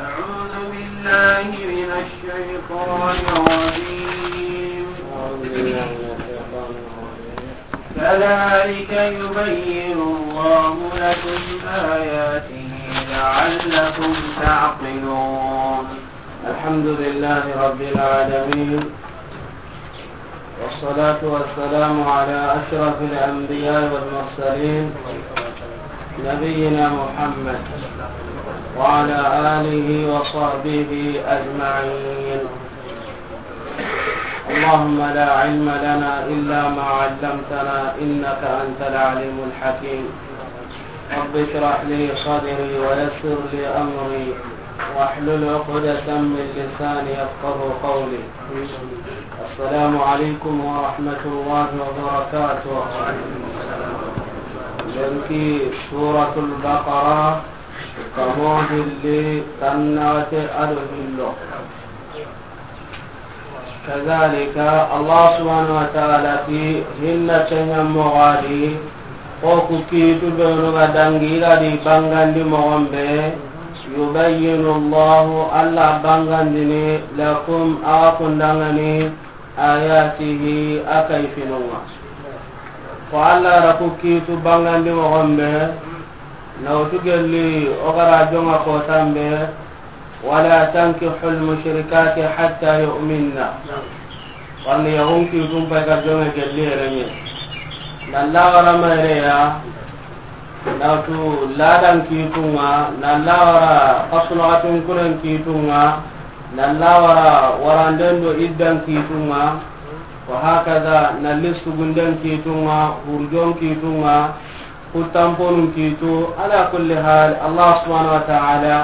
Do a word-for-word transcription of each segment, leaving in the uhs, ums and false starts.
أعوذ بالله من الشيطان الرجيم. كذلك يبين الله لكم آياته لعلكم تعقلون. الحمد لله رب العالمين، والصلاة والسلام على أشرف الأنبياء والمرسلين، نبينا محمد وعلى آله وصحبه أجمعين. اللهم لا علم لنا إلا ما علمتنا إنك أنت العليم الحكيم. رب اشرح لي صدري ويسر لي أمري واحلل عقدة من لساني يفقه قولي. السلام عليكم ورحمة الله وبركاته. Lenki Suratul Baqara, kamo hilli, tannaxate a do hillo. Kazalika, Allah subhanahu wa ta'ala ti, hinna kenya moxo di, ko ku kiitu benu ga dangi i ga di bangandi moxon be, yubayyinu Allahu, Allah bangandini, lakum, axa kundangani, ayatihi, a kayfinunga. Ko Allah ra ku kiitu bangandi moxon be, nawtu gelli o ga ra jonga kotan be, ولا تنكحوا المشركات حتى يؤمن. Warni yaxun kiitun pay ga jonge gelli yerenye. Na lawara mayreya, na tu ladan kiitunga, na lawara kasunaxatun kuren kiitunga, na lawara waranden do iddan kiitunga, wa hakaza na li sugunden kiitunga, hurjon kiitunga, Ku tamponun kiitu, ala kulli hal, Allah subhanahu wa ta'ala,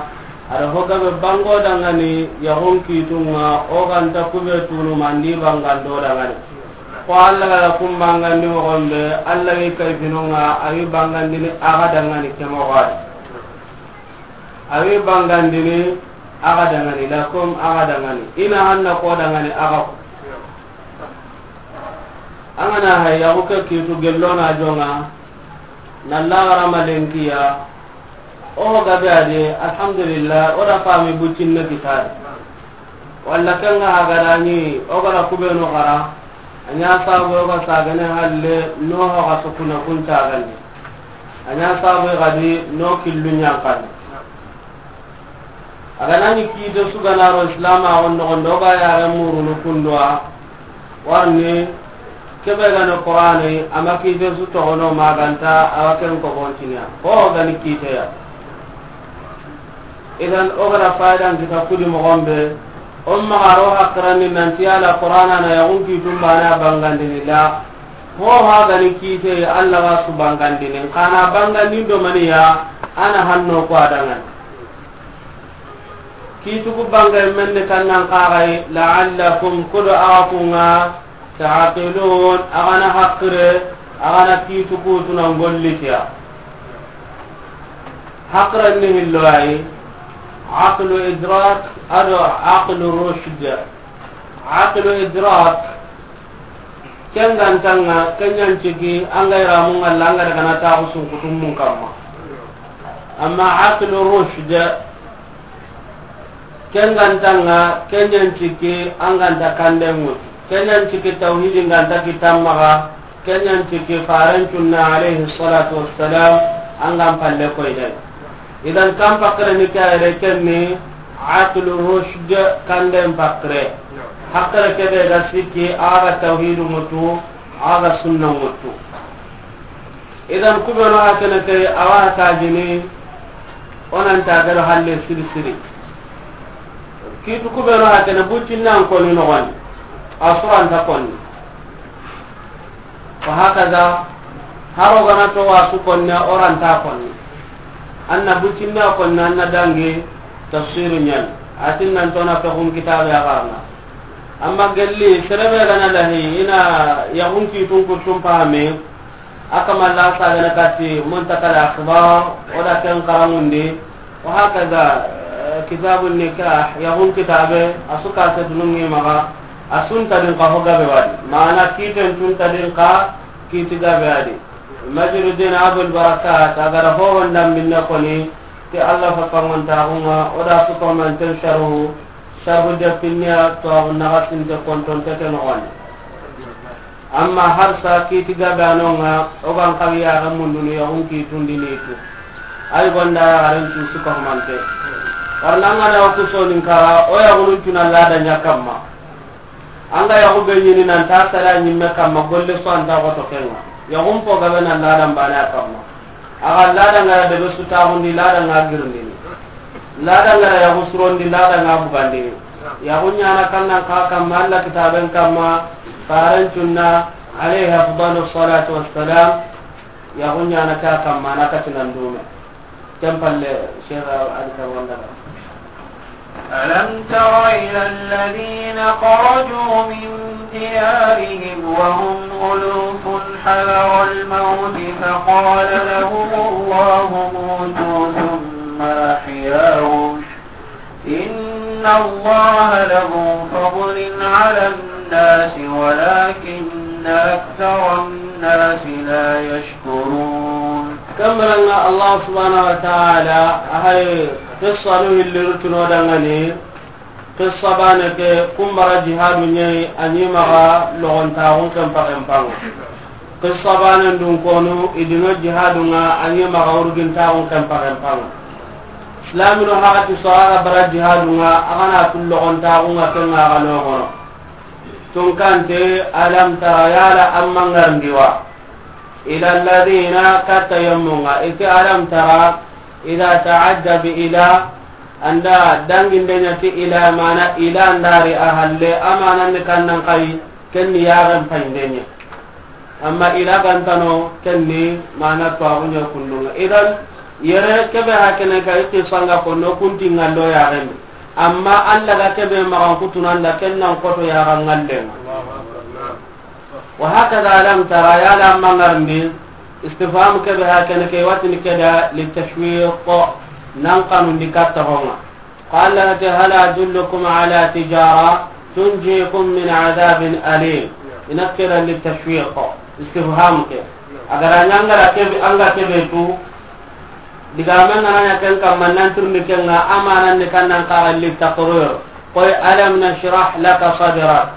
a da ho gabe bango dangani, yaxun kiitunga, o ganta kube tunu mandi bangando dangani. Ko Allah ga kun bangandi moxon be, Allah wi kayfinunga, a wi bangandini axa dangani ke moxo di. A wi bangandini axa dangani, lakum axa dangani. I na hanna ko dangani axa ku. An ga na hay yaxu ke kiitu gello na jonga, na laxara ma lenkiya, o gabe a di, alhamdulillah, o da fami buccinne kitari. Walla ken ga hagarani, o ga da kubenu xara, a ɲa sabu o ga sagane halle, no ho ga sukuna kun cagandi. A ɲa sabu ga di, no killu ɲankandi. A ga na ni kiite su ga na ro Islama on noxon do ga yare murunu kunduwa, warni kebe ga ni Qur'ani, a ma kiite su toxono maganta, a wa ken ko bontiniya. Ho ga ni kiite ya. Idan, o ga da faydan kita kudi moxon be, o ma ga ro hakkarani nanti Alla Qur'ana na yaxun kiitun bana bangandini la. Ho ha ga ni kiite, Alla ga su bangandini. Xa na bangandin do maniya, a na hanno ko a dangani. Kiituku bangay menne kannan kaxay, la'allakum, kudo axa kunga, ta'qilun, axa na haqqire, axa na kiituku tuna ngollitiya. Haqqire ni hillo ay, aqlu idrak, ado aqlu rushd. Aqlu idrak, Ken ga ntanga, ken ɲa nciki, an ga iramu ngalla, an ga daga na taxu sunkutu mun kamma. Amma aqlu rushd, ken ga ntanga, ken ɲa nciki, an ga nta kande ŋutu. Ken ɲa nciki tawhidi nga nta kitan maxa, ken ɲa nciki faren cunna alayhi salatu wassalam, an ga n palle koyden. Idan kan pakkere ni kayere ken ni aqlu rushd, kanden pakkere. Hakkere kebe ga sikki, a ga tawhidu mutu, a ga sunna mutu. Idan kubeno hakene ke, awa tajini, onan ta gero halle siri siri. Kitu kubeno hakene buccinnan koni noxoni, a suranta konni. Wa hakaza, haro gana to wasu konni, o ranta konni. Anna bucinna konni, anna dangi tafsiru ɲan. Atin nan tona fexun kitabe a garna. Amma gelli, serebe gana lahi, ina yaxun kitun kuttun pahami, a kama la sa gana kati, muntakal akhbar, o da ken karamundi, wa hakaza, eh, Kitabu nikah, yaxun kitabe, a su ka se dunungi maxa, a su nta din xa ho gabe wa di. Mana kiiten cu nta din xa, kiiti gabe a di. Majruddin Abul Barakat, a ga ra ho honda minne koni, ti Allah fa kangon taxunga, o da su ko man ten sharhu, sharhu de pinniya, to a naxa sinte konton te ke no wani. Amma har sa kiiti gabe a no nga, o ga n xawi yaxe mundunu yaxun kiitundini tu. Ay gonda yaxaren cu su ka humante. Warna nga na o ku sonin kara, o yaxunun cu na lada ɲa kamma. An ga yaxu be ɲini nan ta sara ɲimme kamma, golle su an ta xoto ke nga. Yaxun po gabe na lada mbane a kamma. A ga lada nga debe su taxundi, lada nga girindini. Lada nga yaxu surondi, lada nga bugandini. Yaxu ɲana kannan xa kamma, Allah kitaben kamma, faren cunna, alayhi afdalu salatu wassalam. Yaxu ɲana ka kamma, na katinan dume. Ken palle, Sheikh Ali Kawanda. ألم تر إلى الذين خرجوا من ديارهم وهم ألوف حذر الموت فقال لهم الله موتوا ثم أحياهم إن الله لذو فضل على الناس ولكن أكثر الناس لا يشكرون. Kamranga Allah subhanahu wa ta'ala, a hay qissa nu hilliru tuno dangani, qissa bane ke kumbara jihadu ɲayi, a ɲi maxa logontaxun kempa kempanga. Qissa bane ndun konu, i dino jihadunga, a ɲi maxa urgintaxun kempa kempanga. Islamino haxati so a ga bara jihadunga, a ga na kun logontaxunga kenga a ga noxono. Tunkante, alam tara, yala amma ngarndi wa. Ila alladhina, katta yemmunga, iti alam tara, idha ta'adda bi ila, anda danginde ɲa ti ila mana ila ndari a halle, a mana ni kannan xayi, kenni yaxen payinde ɲa. Amma ila gantano, kenni mana tuwaxu ɲa kundunga. Idan, yere kebe hakene ka itti sanga konno kunti ngallo yaxen. Amma Allah ga kebe maxan kutunanda, kennan koto yaxa ngallenga. وهكذا ألم تر, yala amma ngarndi, istifham kebe hakene ke watini keda litashwiq, nan kanundi katta honga. قال هل أدلكم على تجارة تنجيكم من عذاب أليم. Ina keda litashwiq, istifham ke. Agara ɲangara kebe, anga kebe tu, digame ngana ɲa ken kamma nan tirni kenga, a mana ni kannan xaxa litaqrir. Koy alam nashrah laka sadrak.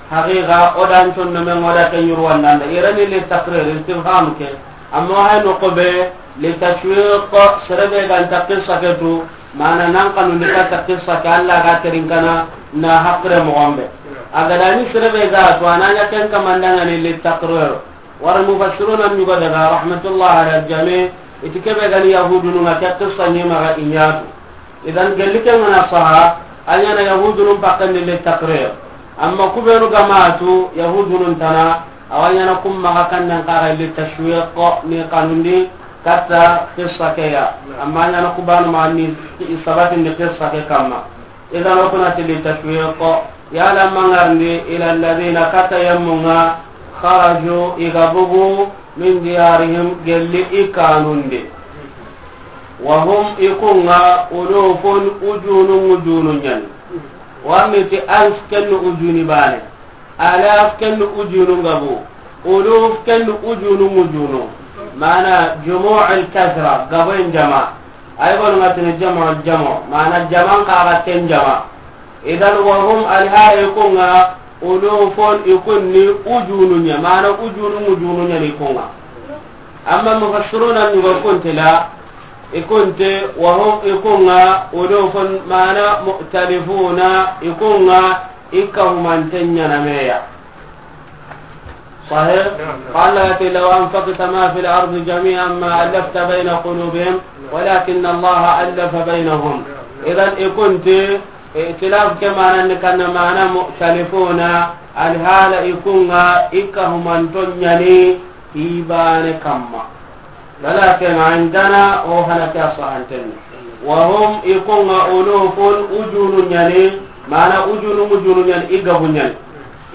Haqiqa, o dan conno men o da ke ɲuru wandanda. Irani li taqrir, istifham ke. Amma hay no ko be, li tashwiq, serebe ganta qissa ke tu, mana nan kanu ni katta qissa ke Allah ga terin kana na haqre mo gombe. Agada ni serebe ga to ananya ken kamandanga ni li taqrir. Wara mufassiruna ɲugo daga rahmatullah ala jami, iti kebe gani yahudunu nga ke qissa ni maga inyatu. Idan, gelli ke ngana saha, a ɲana yahudunun pakken ni li taqrir. Amma kubenu gamatu, yahudunun tana, awa ɲana kum maxa kannan xaxa li tashwiq ni kanundi katta qissa keya. Amma a ɲana kubanu ma ni sabatindi qissa ke kamma. Idan, o kunati li tashwiq, yala mangarndi ila alladhina, katta yemmunga, kharaju, i ga bugu, min diyarihim, gelli i kanundi. Wa hum, i kunga, ulufun, ujunu, ujunu ɲani. Wa miti alf, kennu ujuni bane. Alaf, kennu ujunu gabu. Uluf, kennu ujunu, ujunu. Mana jumu'ul kathra, gaboyin jama. Ay gonu ngatini jama, jama. Mana jaman kaga ken jama. Idan wa hum, alhara i kunga, ulufun, i kunni ujunu ɲa, mana ujunu ujunu ɲa ni kunga. Amma mufassiruna ni go kunti la, i kunti wa hum, i kunga, ulufun, mana mu'talifuna, i kunga, i kahumanten ɲana meya. Sahih? Naam, naam. Qala ti, "Law anfaqta ma fil ardi jami'an ma allafta bayna qulubihim, walakinna Allaha allafa baynahum." Naam. Idan, i kunti, itilaf ke mana ni kanna mana mukhtalifuna, alhala i kunga, i kahumanton ɲani, i bane kamma. Walakin indana, o hana ke a sahanten. Wa hum, i kunga ulufun, ujunu ɲani, mana ujunu, ujunu ɲani, i gabu ɲani.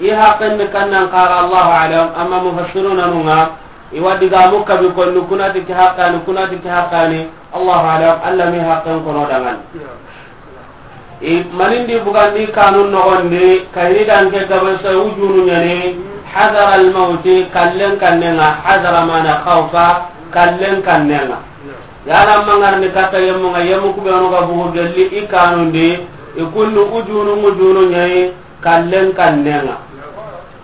I haqqen ni kannan kaga, Allahu alam, amma mufassiruna nunga, i wa digamu kabi konni, kunati ke haqqani, kunati ke haqqani, Allahu alam, Allah mi haqqen kono dangani. I manindi bugandi kanun nogondi, kayini danke gabe sa ujunu ɲani, hadara almauti, kallen kannenga, hadara mana khawfa, kallen kannenga. Yala mangarni kata yemmunga, yemmu kubenu ga bugu gelli i kanundi, i kundu ujunu ujunu ɲayi, kallen kannenga.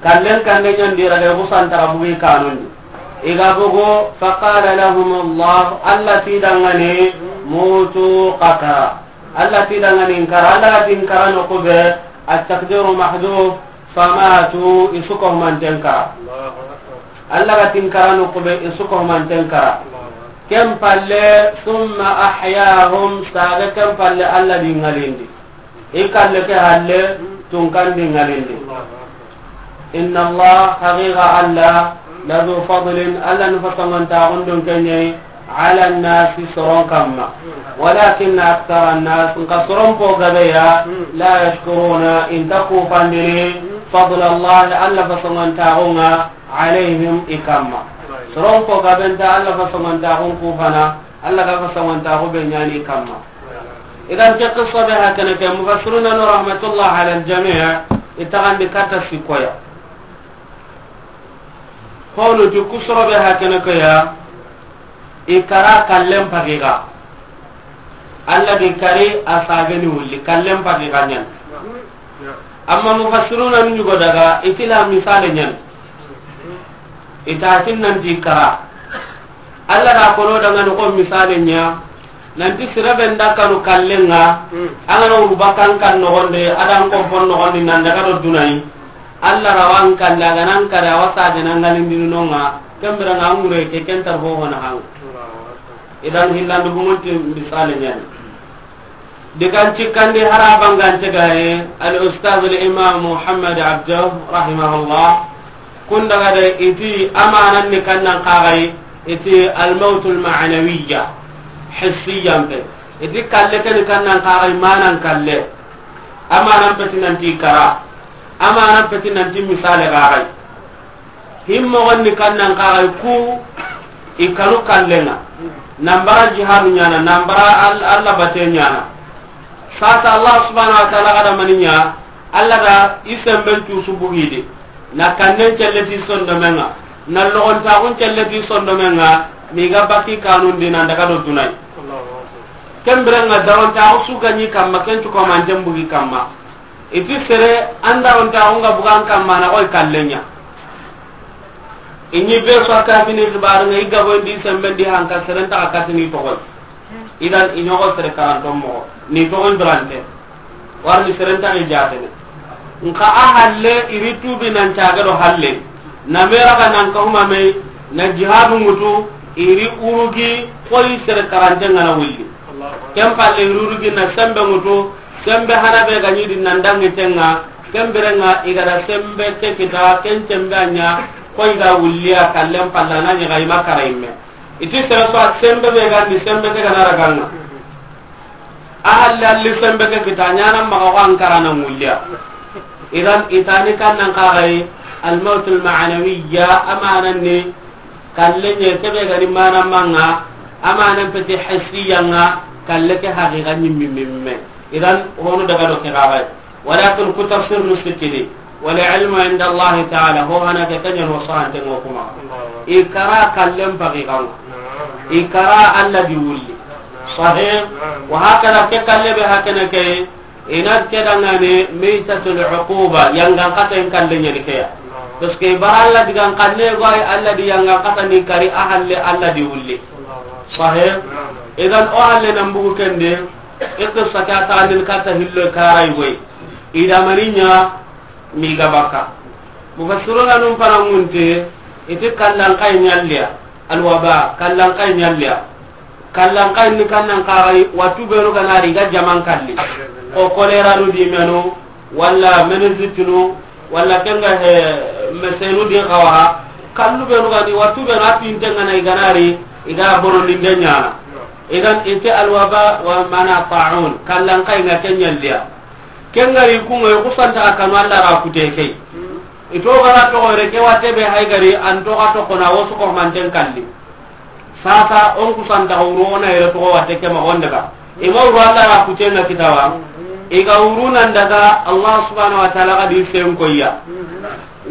Kallen kannen ɲandi raga i kusantara bugi kanundi. I ga bugu, faqala lahum Allah, Allah ti dangani, mutu qatara. Allah ti dangani nkara, Allah ga ti nkara no kube, at-taqdiru mahdhuf, famatu, i su ko manten kara. Allah ga ti nkara no kube, i su ko manten kara. Ken palle, thumma ahyahum, saga ken palle Allah di ngalindi. I kalle ke halle, tun kandi ngalindi. Inna Allah, haqiqa Allah, la dhu fadlin, Allah ni fasongontaxun dunke ɲayi, ala nnasi, soron kamma. Walakin akthara nnas, nka soron po gabeya, la yashkuruna, inta kufandini, fadla Allah, Allah fasongontaxunga, alayhim, i kamma. Soron po gabenta Allah fasongontaxun kufana, Allah ga fasongontaxu be ɲani i kamma. Idan ke qissa be hakene ke, mufassiruna no rahmatullah ala aljami', i taxandi katta sikkoya. Honu ti kusoro be hakene ke ya, i kara kallen pagiga. Allah di kari a sageni wulli, kallen pagiga ɲan. Amma mufassiruna nu ɲugo daga, i ti la misale ɲan. I ta tin nanti kara. Allah da kono dangani ko misale ɲa, nanti sirabe nda kanu kallenga, an ga na wuru bakkan kan nogonde, adan ko fon nogondi nan daga do dunai. Allah rawan kan daga nan kare a wasa de nan ngalindini nonga, kembira nga ngure ke kentar ho hona hang. Idan hillandu gumunti misale ɲani. Digan cikkandi harabangante gaye, al ustaz al imam Muhammad Abdo, rahimahullah, kun daga de iti amanan ni kannan kagai, iti al mautul ma'nawiyya, hissiyan pe. Iti kalle ke ni kannan kagai manan kalle. Amanan peti nanti kara. Amanan peti nanti misale kagai. Himmoxon ni kannan kaxay ku i kanu kallenga. Nambara jihadu ɲana, nambara Al-, Allah bate ɲana. Sasa Allah subhanahu wa ta'ala ga da mani ɲa, Allah da i semben cusu bugidi. Na kannen celleti sondomenga, na logontaxun celleti sondomenga, mi ga bakki kanundi nan daga do dunay. Ken birenga darontaxu su gaɲi kamma, ken cukomanten bugi kamma. Iti sere anda onta onga bugan kamma na koy kallenya. Inyi be so kafini xibaru ngi gabo ndi sembe ndi hanka sere nta katini to koy. Idan inyogo sere karanto mo ni to koy durante. Warni sere nta jatene. Nka a halle iri tubi nan caga do halle. Na mera ga nan ka huma me na jihadu mutu iri urugi koy sere karante ngana willi. Ken palle iri urugi na sembe mutu. Sembe hana be ga ɲi di nan dangi tenga, ken birenga i ga da sembe ke kita, ken sembe a ɲa, ko i ga wulliya kallen palla na ɲi ga i ma kara imme. Iti sere so a sembe be ga ndi sembe ke ga na raganga. A halli halli sembe ke kita, ɲana maga ko an kara na wulliya. Idan itani kan nan kagai, al mautul ma'nawiyya, amanan ni, kallen ye kebe ga ni mana manga, amanan peti hissiyanga, kalle ke haqiqa ɲimmi mimme. Idan, hono daga do ke gabai. Walakin ku tafsir nu sikidi. Wal ilmu inda Allah ta'ala, ho hana ke kanyan wa sahante ngo kuma. I kara kallen pagigan. I kara Allah di wulli. Sahih. Wa hakada ke kalle be hakana ke, ina ke dangane maytatul uquba, yangan kata en kalle nyani ke ya. Parce que bara Allah di gan kalle go ay Allah di yangan kata ni kari a halle Allah di wulli. Sahih. Idan o halle nan bugu kende. Iqtisa ka ta andin kata hillo karay goy. Ida maninya mi ga baka. Mufassiruna num parangunte iti kallan kay nyalliya. Alwaba kallan kay nyalliya. Kallan kay ni kannan karay watu benu ganari ga jaman kalli. O kolera nu di menu wala menizitinu wala kenga he mesenu di kawa. Kallu benu gani watu benu api intengana iganari iga bono ninde nyana. Idan ite alwaba wa mana ta'un kallan kay nga kenyalliya. Kengari kunga yo kusanta akanu Allah ra kute kay. Ito gara to gore ke wate be hay gari an to ga to kona wosu ko manten kalli. Sasa on kusanta wuro ona yere to wate ke ma on daga. Ima wuro Allah ra kute na kitawa. I ga wuru nan daga Allah subhanahu wa ta'ala ga di sen koyya.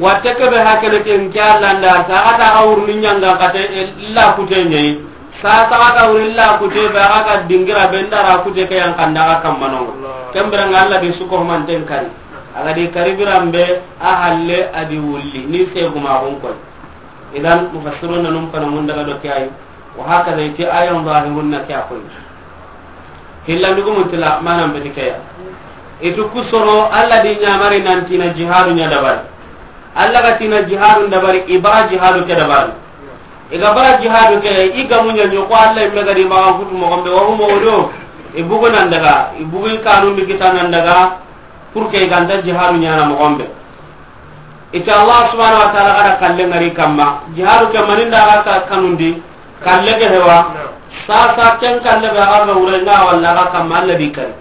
Watte ke be hakene ken ke Allah nda ta ga ta ga wuru ni nyanga kate illa kute nyai. Sa ta ga ta wuru illa kute be ga ga dingira be ndara kute ke yan kanda ga kammano. Kembere nga Allah di suko manten kari. Aga di kari birambe a halle a di wulli ni se guma gon koy. Idan mufassiruna num kana mun daga do kiyai. Wa hakaza iti ayan zahirun na kiya koy. Hillandugumun tila manan beti keya. Itu kusoro Allah di nyamari nan tina jihadu nya dabari. Allah ga tina jihadu dabari, i bara jihadu ke dabari. I ga bara jihadu ke, i gamu nya nyoko Allah imme ga di magan kutu mo gombe wa mo do. I bugu nan daga, i bugu i kanun di kita nan daga. Pour que i ganta jihadu nyana mo gombe. Ita Allah subhanahu wa ta'ala ga da kalle ngari kamma. Jihadu ke maninda ga ka kanundi. Kalle ke hewa. Sasa ken kalle be ga ga wure nga walla ga kamma Allah di kari.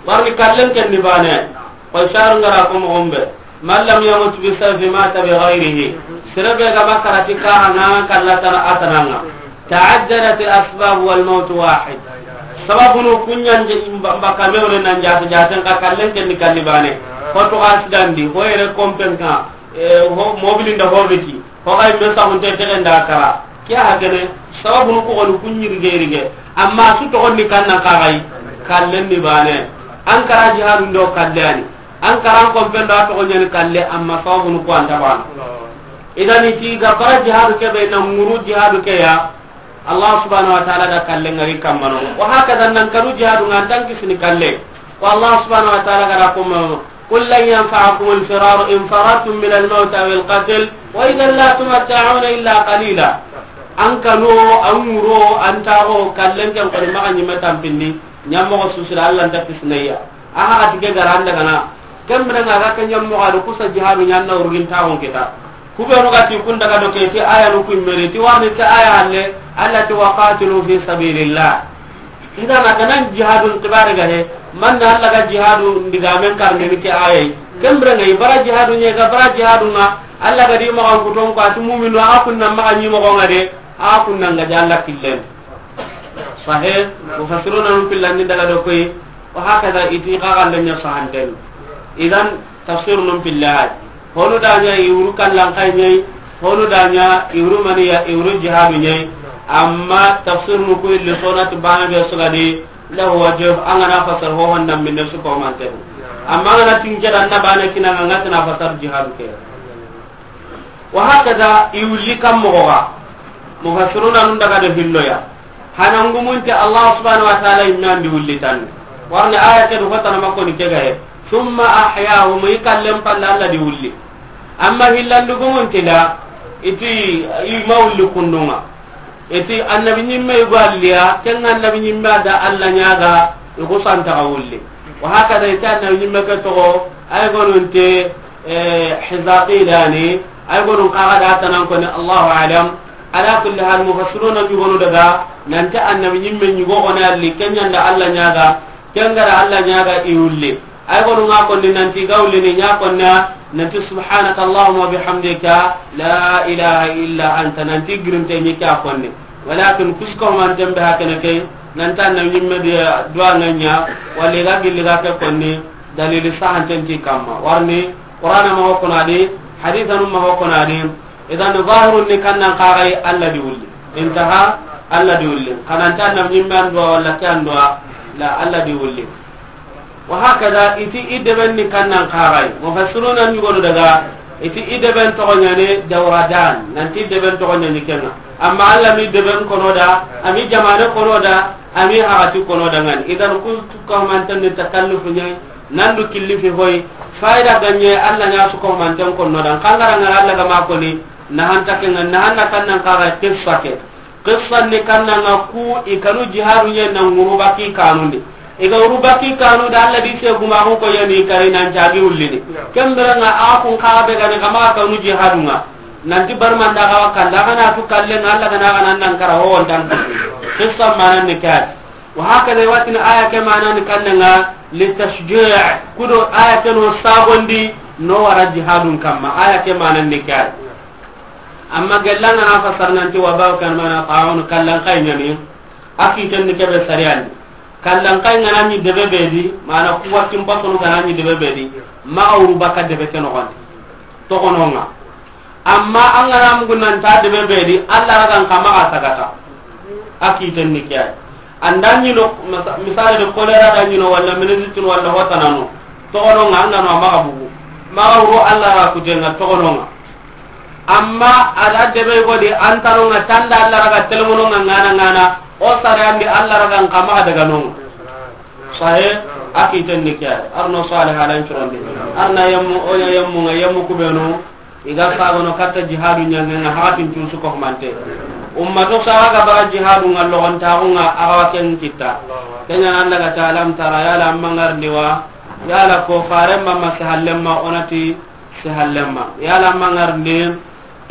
Warni kallen ken ni bane. Ko sharu ngara ko mo gombe. Man lam yamut bi sayfi mata bi ghayrihi. Sirabe ga makarati ka hana kallata atananga. Ta'addadat al-asbab wal mawt wahid. Sababunu kunyan je mbaka mewre nan jata jata ka kallen ken ni kalli bane. Ko to accident di, ko yere kompen ka, e, ho mobili nda horbiti. Ko kay be sa hunte te nda kara. Kiya hakene, sababunu ko on kunyi rige rige. Amma su to on ni kanna ka kay kallen ni bane. An kara jihadu ndo kallani. An karan kompen do a toxo ñani kalle, amma sawabunu ku anta bana. Idan iti ga bara jihadu ke be na nguru jihadu ke ya, Allah subhanahu wa ta'ala da kalle ngari kammano. Wa hakaza nan kanu jihadu ngan tan kisini kalle. Wa Allah subhanahu wa ta'ala gara kuma, "Qul lan yanfa'akum al-firar in farartum min al-mawt aw al-qatl, wa idhan la tumatta'una illa qalila." An kanu, an nguro, an taxo kallen ken ko maxa ñime tampindi, ñammoxo susira Allah nta kisinayya. A haxati ke gara an daga na. Ken bire nga ga ke ñammoxo a do kusa jihadu ñanna urgin taxun kita. Ku be no ga ti kun daga do ke ti aya no ku meri ti warni ke aya halle, Allah ti wa qatilu fi sabilillah. Idan a ga nan jihadun tibare ga he, man na Allah ga jihadu ndiga men karne ni ke aya. Ken bire nga i bara jihadu ñe ga bara jihadu nga, Allah ga di ma an kuton ko atu mu'minu a kunna ma ñi mo nga de, a kunna nga jalla killen. Sahih, mufassiruna nun pillandi daga do koy, wa hakaza iti xaxandanya sahanten. Idan, tafsir nun pillay. Honu daña i wuru kallan kay ñay, honu daña i wuru maniya, i wuru jihadu ñay. Amma tafsir nu ku illi sonati bana be sugadi, lahu wajh, an ga na fasar ho honda minne su ko manten. Amma an ga na tinke dan na bana kina nga na fasar jihadu ke. Wa hakaza i wulli kam moxo ga. Mufassiruna nun daga do hilloya. Hanangumunte Allah subhanahu wa ta'ala imme andi wulli tan. Warni aya ke du hotana makko ni ke ga he. Thumma ahyahum, i kallen palla Allah di wulli. Amma hillandugumunte da, iti i ma wulli kundunga. Iti annabi ñimme i go alliya, ken annabi ñimme da Allah ñaga, i ku santa ga wulli. Wa hakaza iti annabi ñimme ke toxo, ay gonunte, eh, Hizaqilani, ay gonun kaga da tanan ko ni Allahu a'lam. Ala kulli hal, mufassiruna ñugonu daga, nanti annabi ñimme ñugo ona alli, ken ñanda Allah ñaga, ken gara Allah ñaga i wulli. Ay gonu nga konni nanti ga wulli ni ña konna, nanti subhanaka Allahumma bihamdika, la ilaha illa anta, nanti girinte ñi ka konni. Walakin kusko man tembe hakene ke, nanta na ñimme di duwa nga ña, wali ga gilli ga ke konni, dalili sahanten ti kamma. Warni, Qur'ana ma hokona di, hadithanu ma hokona di, idan zahirun ni kannan kagai Allah di wulli. Intaha, Allah di wulli. Kananta na ñimme an duwa wala ke an duwa, la Allah di wulli. Wa hakaza, iti i deben ni kannan kagai. Mufassiruna ñugonu daga, iti i deben toxo ñani Jawradan, nanti i deben toxo ñani kenga. Amma Allah mi deben kono da, ami jamane kono da, ami hagati kono da ngani. Idan ku kamanten ni takallufu ñay, nandu killi fi hoy, fayda ganye Allah ña su kamanten kono da. Kangara ngara Allah ga ma koni, nahanta kenga, nahanna kannan kagai qissa ke. Qissa ni kannanga ku i kanu jihadu ñe na nguru baki kanundi. I ga wuru baki kanu da Allah di se guma ko ko yani kari nan jagi ullini. Kembere nga a kun ka be gani kama kanu jihadu nga. Nanti barmanda ga wakanda kana tu kalle nga Allah kana kana nan kara ho wontan. Qissa manan ni kat. Wa hakada watin aya ke manan kannanga li tashji'. Kudo aya ke no sagondi no wara jihadun kamma. Aya ke manan ni kat. Amma gellanga na fasar nanti wa bawo kan mana ta'un kallan kay ñami. Aki tan ni kebe sariyani. Kallankayi n ga na ɲi debe be di, mana ku wattin pasonu ga na ɲi debe be di, maxa wuru baka debe ke noxondi. Toxononga. Amma an ga na mugu nan ta debe be di, Alla ragan xa maxa sagata. A kiten ni ke yi. An da ɲi no, misa-, misali de, kolera da ɲi no, walla meningite walla hotanano. Toxononga, an ga no a maxa bugu. Maxa wuru Alla ra kutenga toxononga. Amma a da debe go di, an tanonga tanda Alla raga telemononga ngana ngana, o sareyandi Alla ragan xa maxa daga nonga. Sahe, a kiten ni ke yi. Arno Salih alan curondi. Arna yemmu, oya yemmu nga yemmu kubenu. I ga sagono katta jihadu ɲangenga hakatin cusu ko humante. Ummato saga ga bara jihadu nga logontaxu nga a ga wa ken kitta. Kenya nan daga ta alam tara yala amma ngarndi wa. Yala ko faremma ma sahallemma onati sahallemma. Yala amma ngarndi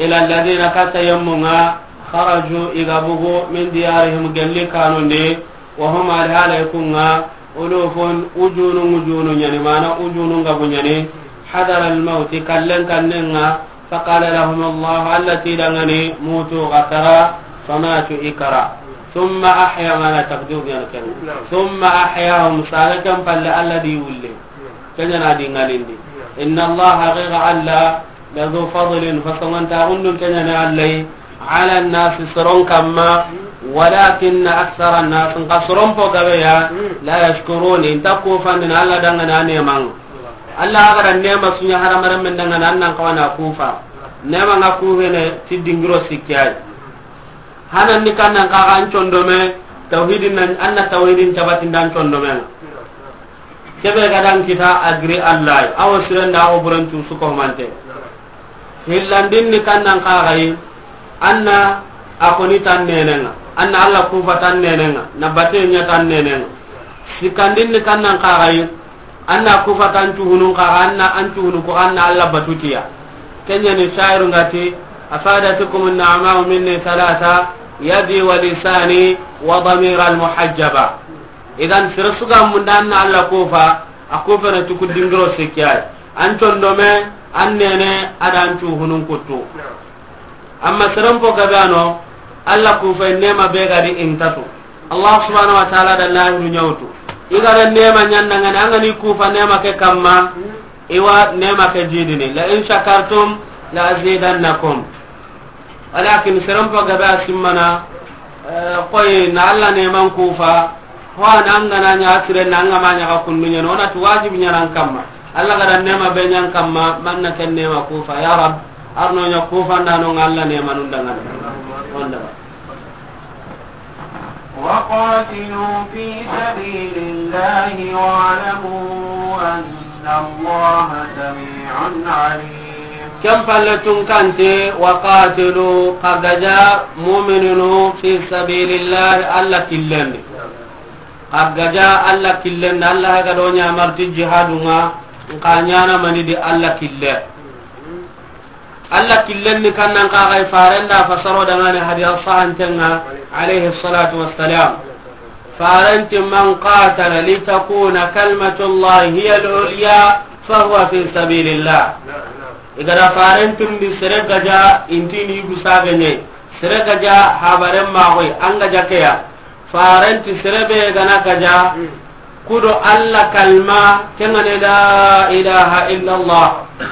ila alladhina katta yemmu nga kharaju i ga bugu min diyarihim gelli kanundi. Wa hum alhala i kunga ulufun ujunu ujunu ɲani mana ujunu ngabu ɲani. Hadara almauti kallen kannenga. Faqala lahum Allah, Alla ti dangani mutu ga kara. Famatu i kara. Thumma ahya mana takdiru ɲani ken. Thumma ahyahum sare ken palle Alla di wulle. Kenya na di ngalindi. Inna Allah haqiqa Alla. Lazu fadlin, fasongontaxundun keɲani Alla yi, ala nnasi, soron kamma, walakinna aksara nnasi, nka soron po gabe ya, la yashkurun, i nta kufandini Alla dangana a nemanga. Alla a ga da nema su ɲa hadamarenmen dangana, an nan xawa na kufa. Nema nga kufene ti dingiro sikki yi. Hanan ni kannan kaga an condome, tawhidin nan, an na tawhidin tabatin dan condome. Kebe ga dan kita a giri Alla yi, awo sirenda awo burancu su ko mante. Hillandin ni kannan kaga yi, an na a koni tan nenenga, an na Alla kufa tan nenenga, na bate ɲa tan nenenga. Sikandin ni kannan kaga yi, an na kufa tan cuhunun kaga, an na an cuhunu ko an na Alla batutiya. Kenya ni shairu ngati, afadatukum an-ni'ma'u minni thalatha, yadi wa lisani wa damira al-muhajjaba. Idan sere suga munda an na Alla kufa, a kufana tuku dingiro sikki yi. An condome, an nene, a da an cuhunun kuttu. Amma seren po gabano, Alla kufa nema be gadi intatu. Allah subhanahu wa ta'ala da lahiru ɲawtu. I ga da nema ɲandangani, an ga ni kufa nema ke kamma, iwa nema ke jidini. La in shakartum la azidannakum. Walakin seren po gabe a simmana, eh, koy na Alla neman kufa, ho an an ga na ɲa siren na an ga ma ɲa ga kundu ɲa, no na tu wajibi ɲa nan kamma. Alla ga da nema be ɲan kamma, man na ken nema kufa. Ya Rab, arno ɲa kufa nda no Alla nemanun dangana. Onda. وقاتلوا في سبيل الله واعلموا أن الله سميع عليم. Ken palle tun kante, wa qatilu, xa gaja mu'minunu fi sabilillah, Alla killendi. Xa gaja Alla killendi, Alla ga do ɲa marti jihadunga, nka ɲana mani di Alla kille. Alla killen ni kannan kaxay farenda fasaro dangane hadiya sahantenga, alayhi salatu wassalam. Farenti man qatala litakuna kalmatullahi hiya al-ulya fahuwa fi sabilillah. Igada farentun di sere gaja intini yugu sagene, sere gaja habaren maxoy an gaja keya. Farenti serebe gana gaja, kudo Alla kalma, kengane la ilaha illallah.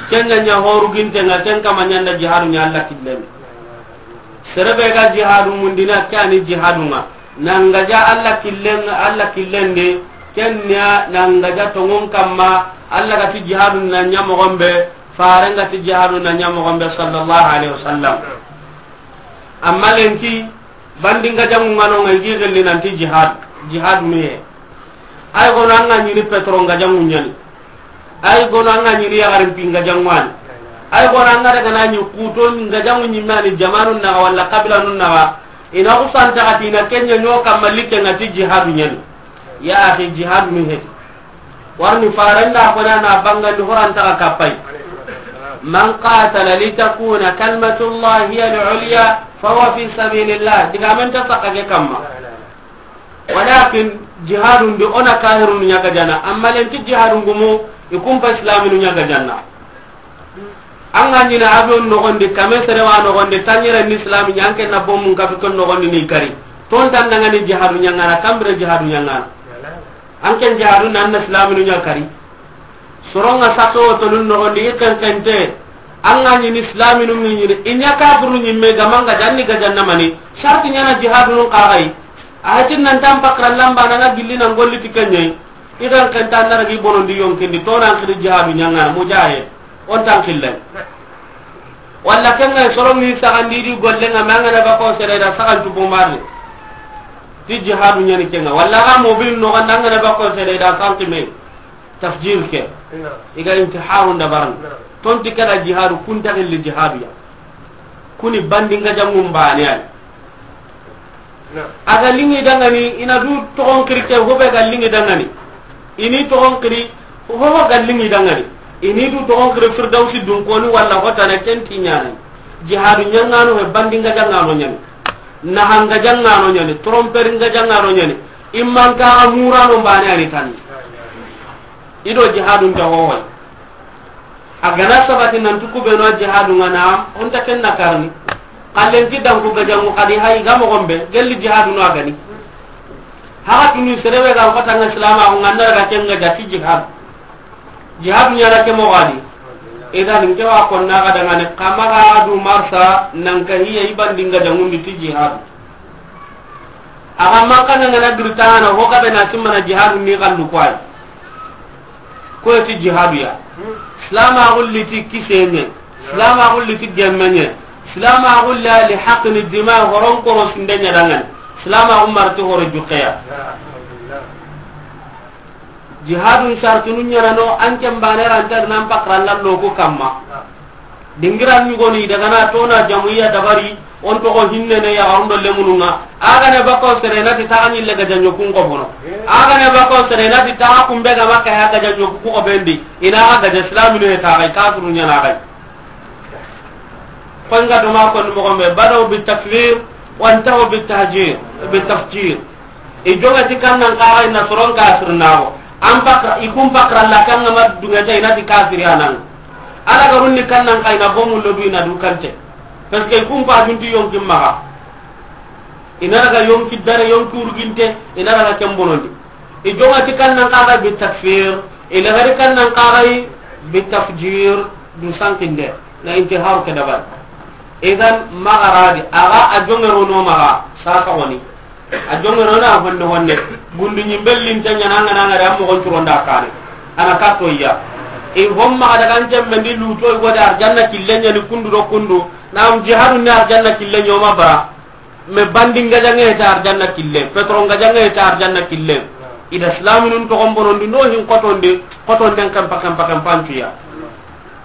Kenga ɲa horu gintenga, ken kama ɲanda jihadu ɲa Alla killen. Serebe ga jihadu mundina, ke ani jihadu nga. Nan gaja Alla killen, Alla killen de, kenya nan gaja tongon kamma, Alla gati jihadu na ɲa mogombe, farenga ti jihadu na ɲa mogombe, sallallahu alaihi wasallam. Amma lenki, Bandin gajangu ngano ngai gi gelli nanti jihad, jihad miye. Ay gono anga ɲini petro gajangu ɲani. Ay gono anga ɲini yagarin pin gajangu ani. Ay gono anga daga na ɲi kuto gajangu ɲimani jamanu na wala kabila nun na. Ina usanta katina kenya nyoka malike ngati jihadu ɲani. Ya akhi, jihadu miye. Warni farenda kona na bangandi horanta ka kapai. Man qatala litakuna kalmatullahi hiya al-ulya fahuwa fi sabilillah. Diga men ta sakka ke kamma. Walakin jihadun di ona kahirun ɲaga jana. Amma lenti jihadun gumu ikumpa islaminu ɲaga janna. Anga ɲina avion nogondi, kame serewa nogondi, tanyere ni islami ɲanke na bomun kapi ton nogondi ni kari. Ton tandanga ni jihadu ɲangana, kambire jihadu ɲangana. An ken jihadu nan na silaminu ɲa kari. Soronga sato tolun nogondi i kenkente. An ga ɲini silaminu ŋi ɲini i ɲa kafirunu ɲimme gamanga janni gajanna mani. Sarti ɲana jihadunun kaxayi. A hatin nan tan pakra lamba nanga gilli nan golli ti keɲayi. I kenkenta an na ragi bonondi yonkindi tonan kiri jihadu ɲangana mujahid. On tan killay. Walla kenga soron ni sagandi di gollenga ma ngana bako sere da sagan tu bombarde. Ti jihadu ɲani kenga. Walla ga mobil no ganda ngana bako sere da santi me. Tafjir ke. Iga intiharun da baran. Tonti kada jihadu kunta gilli jihadu ya. Kuni bandinga jangum bani ay. A ga lingi dangani, ina du toxon kiri ke, hobe ga lingi dangani. Ini toxon kiri, hoho ga lingi dangani. Ini du toxon kiri Firdausi dunkoni walla hotana ken ti ɲani. Jihadu ɲangano he bandinga jangano ɲani. Nahanga jangano ɲani, tromperinga jangano ɲani. Immanka murano bane ani tan. Ido jihadun ta hohoy. A gana sabati nan tuku beno jihadu ngana, onta ken na karni. Kallen ti danku gajangu kadi hay ga mo gombe, gelli jihadu no agani. Haga tuni serebe ga kota nga silama ko nganda ga kenga jati jihad. Jihadu nyara ke mo wadi. Idan ke wa ko na ga dangane kama ga du marsa nan ka hiya ibandinga jangundi ti jihad. Aga manka na ngana birtana ho ga bena simmana jihadu ni kallu kwai. Ko ti jihadu ya. Silama gulli ti kisenye. Silama gulli ti gemmenye. Silama gulli ali haqqi dima horon koro sindenya dangan. Silama umar ti horo jukeya. Jihadun sartunu ɲana no an ken bane ranta nan pakra lallo ko kamma. Dingiran ɲugoni daga na tona jamuiya dabari on toxo hinnene yaxarundo lemununga. Agane bako sere nati taxa ɲille gajanɲo kun xobono. Agane bako sere nati taxa kumbe ga makka ya gajanɲo ku xobendi. Ina ga gaja islaminu he taxay kafirun ɲana xay. Koy nga doma konni moxo me badaw bi takfir wantaho bi tahjir bi tafjir. I jonga ti kannan kaxa ina soron kafir naxo an pakra i kun pakra la kanga ma dunga ta ina ti kafir anan. Ala garunni kannan ka ina bomu lodu ina du kante. Parce que i kun pa junti yonki maxa. Ina daga yonki dare yonki urginte ina daga kembonondi. I jonga ti kannan kaxa bi takfir ila gari kannan kaxa bi tafjir du sankinde na intiharu ke dabal. Idan magaradi aga a jongero no maga saka woni. A jongero na honne honne. Gundu nyimbellin tanya nanga nanga da mo gonturonda kane. Ana kato iya. E homma daga njembendi luto go da arjanna killenya ni kundu do kundu. Na am jihadu ni arjanna killenya o ma bara. Me bandi ngajange ta arjanna kille. Petro ngajange ta arjanna kille. Ida islaminun to gombonondi no hin kotonde kotonden kampa kampa kampantuya.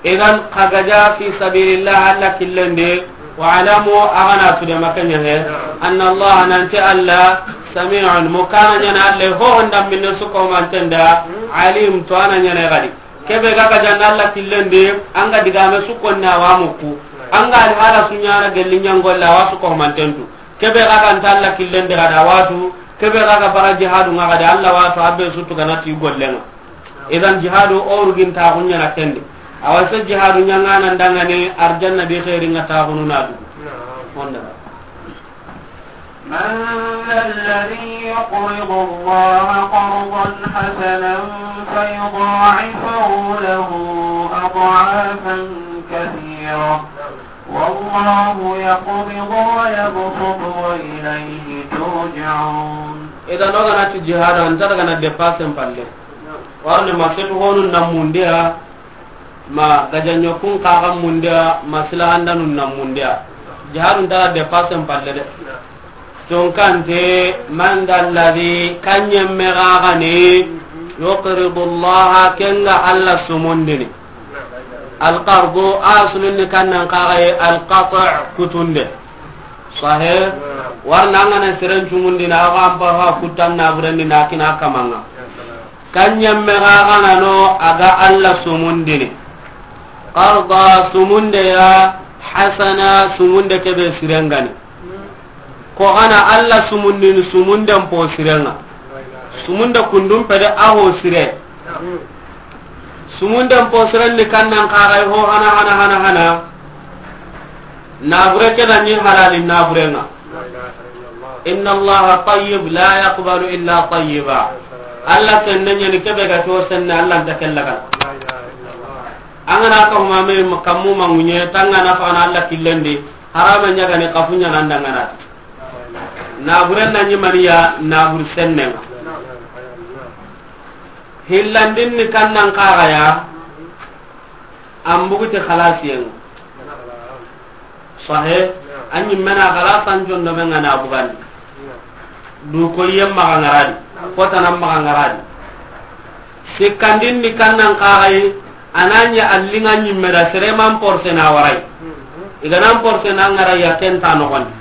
Idan xa gaja fi sabilillah Alla killende. Wa alamu, agana tude makanya he, anna Allah, nanti Alla, sami'un, mukana nyana Alla ho honda minne suko mantenda, alim, to ana nyana gadi. Kebe ga gaja Alla killende, anga digame suko na wa muku. Anga al hala sunyana gelli nyangolla wa suko mantendu. Kebe ga ga nta Alla killende gada watu. Kebe ga ga bara jihadu nga gada Alla watu abbe sutu ganati gollenga. Idan jihadu o rugintaxu ɲana kendi. Awa se jihadu ɲangana ndangani arjanna bi xeeri nga taxunu na dugu. Honda. من ذا الذي يقرض الله قرضا حسنا فيضاعفه له أضعافا كثيرة والله يقبض ويبسط وإليه ترجعون. Idan o gana ti jihadu an ta daga na dépassé palle. Warne ma setu honu na mundiya ma gajanyo kun kaga mundiya ma silahandanun na mundiya. Jihadu ta dépassé palle de. Tonkante man da alladhi kanyemme gagani yuqridu Allah kenga Alla sumundini. Alqardu aslun ni kannan kagaye alqati' kutunde. Sahih. Warna ngana seren cumundina awa ampa ha kutan na burendi na kina kamanga. Kanyemme gagana no aga Alla sumundini. Qarda sumunde ya hasana sumunde kebe sirengani. Ko gana Alla sumundini sumunden po sirenga. Sumunde kundum pede aho sire. Sumunden po siren ni kannan kagai ho hana hana hana hana. Nabure keda ni halali naburenga. Inna Allah tayyib la yaqbalu illa tayyiba. Alla senne ɲa ni kebe ga to senne, Alla nta kella gana. An ga na ka huma me kammu mangunye, tanga na fa na Alla killendi, harama ɲa ga ni kafu ɲa nan dangana. Na buren na ɲi maniya, na bur senne. Hillandin ni kannan kaga ya, an buguti xalasiyen. Sahe, an ɲi mena xalasan jondo men ga na bugandi. Du ko yem maxa ngaradi, ko tanan maxa ngaradi. Sikkandin ni kannan kaxayi, ananya allinga ɲimme da sereman porse na warai. Iganan porse na ngarai ya kenta noxondi.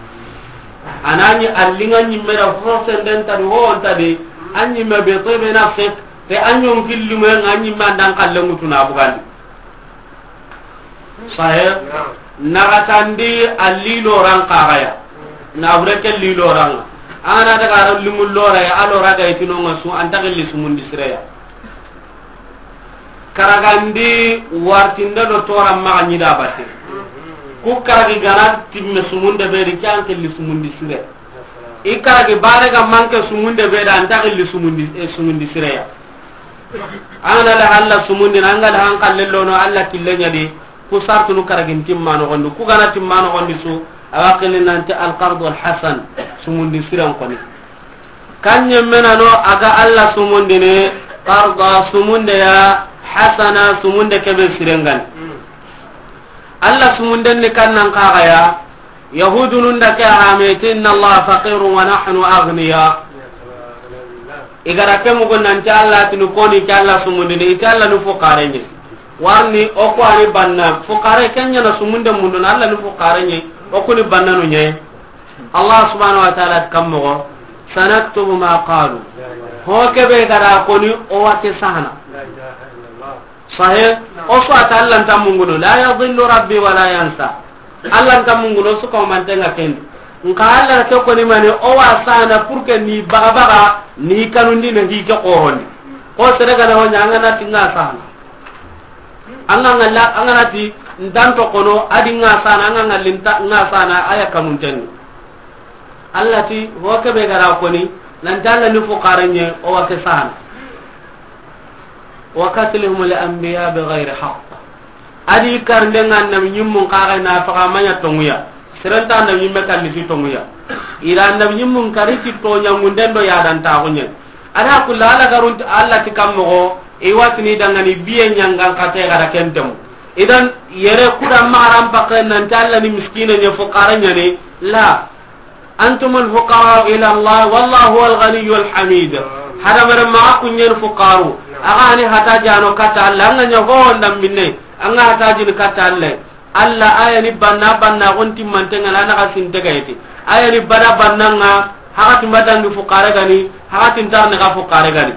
Ananya allinga ɲimme da porse nden tadi ho on tadi, an ɲimme be to be na fek, te an ɲon killume nga ɲimme andan kallengutu na bugandi. Sahe, naxatandi a liloran kaxaya. Na bure ke liloran. An ga na daga ro limu lora ya, a lora ga itino nga su, an ta gilli sumundi sireya. Karagandi wartinde do toran maxa ɲi da batte. Ku karagi gana timme sumunde be di, ke an kelli sumundi sire. I karagi bare ga manke sumunde be da, an ta gilli sumundi, eh, sumundi sireya. An ga na la Alla sumundini, an ga na han kalle lono Alla kille ɲa di, ku sartunu karagin timma noxondi, ku gana timma noxondi su, a wa kini nanti alqardu alhasan, sumundi siren koni. Kan ɲemmenano a ga Alla sumundini, qarda sumunde ya, hasana sumunde kebe sirengani. Alla sumunden ni kannan kaxaya, Yahudunun da ke hameti, inna Allah faqirun wa nahnu aghniya. I gara ke mugu nanti Alla tini koni ke Alla sumundini, iti Alla nu fuqare ɲi. Warni o ko ani banna fuqare kenya na sumunde mundu na Alla nu fuqare ɲi, o kuni banna nu ɲi. Allah subhanahu wa ta'ala kammo, sanaktubu ma qalu. Ho kebe gara koni o wate sahana. Sahe, o su ata Alla nta munguno, la yadillu rabbi wa la yansa. Alla nta munguno su ko mantenga ken. Nka Alla ke koni mani o wa sana pour que ni baga baga ni kanundi na hi ke qoroni. Ko sere gana ho ɲa an ga na ti nga sana. An ga ngalla, an ga na ti ndanto kono adi nga sana, an ga ngalli nta nga sana aya kanunten. Alla ti, ho kebe gara koni, nanti Alla ni fuqare ɲi, o wa ke sana. Wa qatlihum al anbiya bi ghayri haqq. Adi karnde nga annabi ɲimmun kaga na faga manya tonguya. Serenta annabi ɲimme kalli ti tonguya. Ira annabi ɲimmun kari ti tonya ngunden do ya dan ta gunye. Ada kulla Alla garun Alla ti kammo, i watini dangani biye ɲangan kate gara kentemu. Idan yere kuda maran pakke nanti Alla ni miskine ɲa fuqare ɲa ni la. Antumul fuqara'u ila Allah, wallahu huwal ghaniyyul hamid. Hadamaren maxa kuɲen fuqaru. Axa ni hata jano katta Alla, an ga ɲa ho ndam minne, an ga hata jini katta Alla. Alla aya ni banna, banna gon timmante ngana na ga sinte gayeti. Aya ni bada banna nga, haxa timba dangi fuqare gani, haxa tintar ni ga fuqare gani.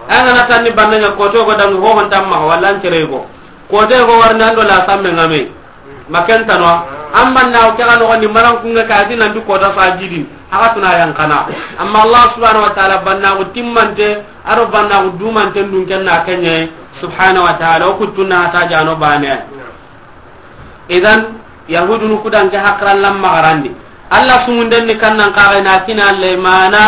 Aya ngana tan ni banna nga koto go dangi ho hon tamma, walla an tere go. Kote go warni an do la samme ngame. Maken tanwa. An banna o kega noxondi maran kunga ka ati nanti kota fa jidi. Haxa tuna yan kana. Amma Allah subhanahu wa ta'ala banna o timmante, aro banna o dumante ndun kenna kenye. Subhanahu wa ta'ala, o kuttunna hata jano bane. Idan, Yahudunu kudan ke hakran lam magarandi. Allah sumunden ni kannan kaga na kina Allah mana.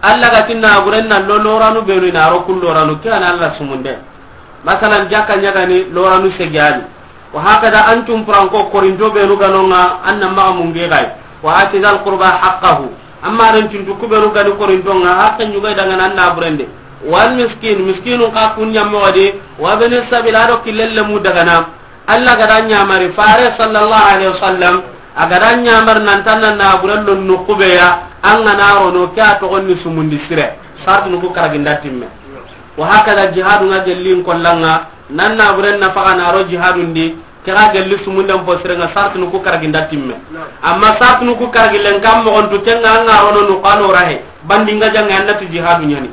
Allah ga tinna gurenna lo loranu benu na ro kul loranu kiyana Allah sumunden. Masalan, jakka ɲagani loranu segiyani. Wa hakada an cumpuranko korinto benu ganonga an na maga mungi gay. Wa ati dal qurba haqqahu. Amma ren cuntu kubenu gani korinto nga hakka ɲugay dangana an na burende. Wal miskin, miskinu ka kun ɲammo wadi. Wa bani sabila do kilelle mu dagana. Allah gada ɲamari fare sallallahu alaihi wasallam. A gada ɲamar nan tanna na burello nukubeya. An gana rono ke a togonni sumundi sire. Sartu nuku karaginda timme. Wa hakada jihadu nga gellin kollanga, nan na buren na faga na ro jihadun di, kira gelli sumunden po sire nga sartunu ku karaginda timme. Amma sartunu ku karagilen kam mo on tu kenga nga rono nu kano rahe, bandi nga janga annati jihadu ɲani.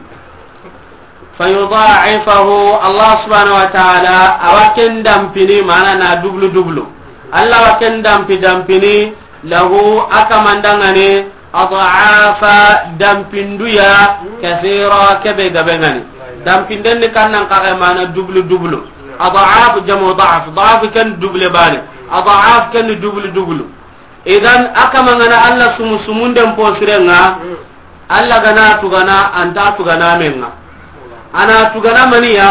Fayudha'ifahu, Allah subhanahu wa ta'ala, awa ken dampini, mana na dublu dublu. Allah wa ken dampi dampini, lahu, a kamandangani, ad'afa, dampinduya, kathira, kebe gabe ngani. Dampinden ni kannan kage mana dublu dublu. Ad'af jamu da'af, da'af ken double bani. Ad'af ken dublu dublu. Idan, a kamangana Allah sumu sumunden posirenga, Allah gana tugana, anta tugana menga. A na tugana maniya,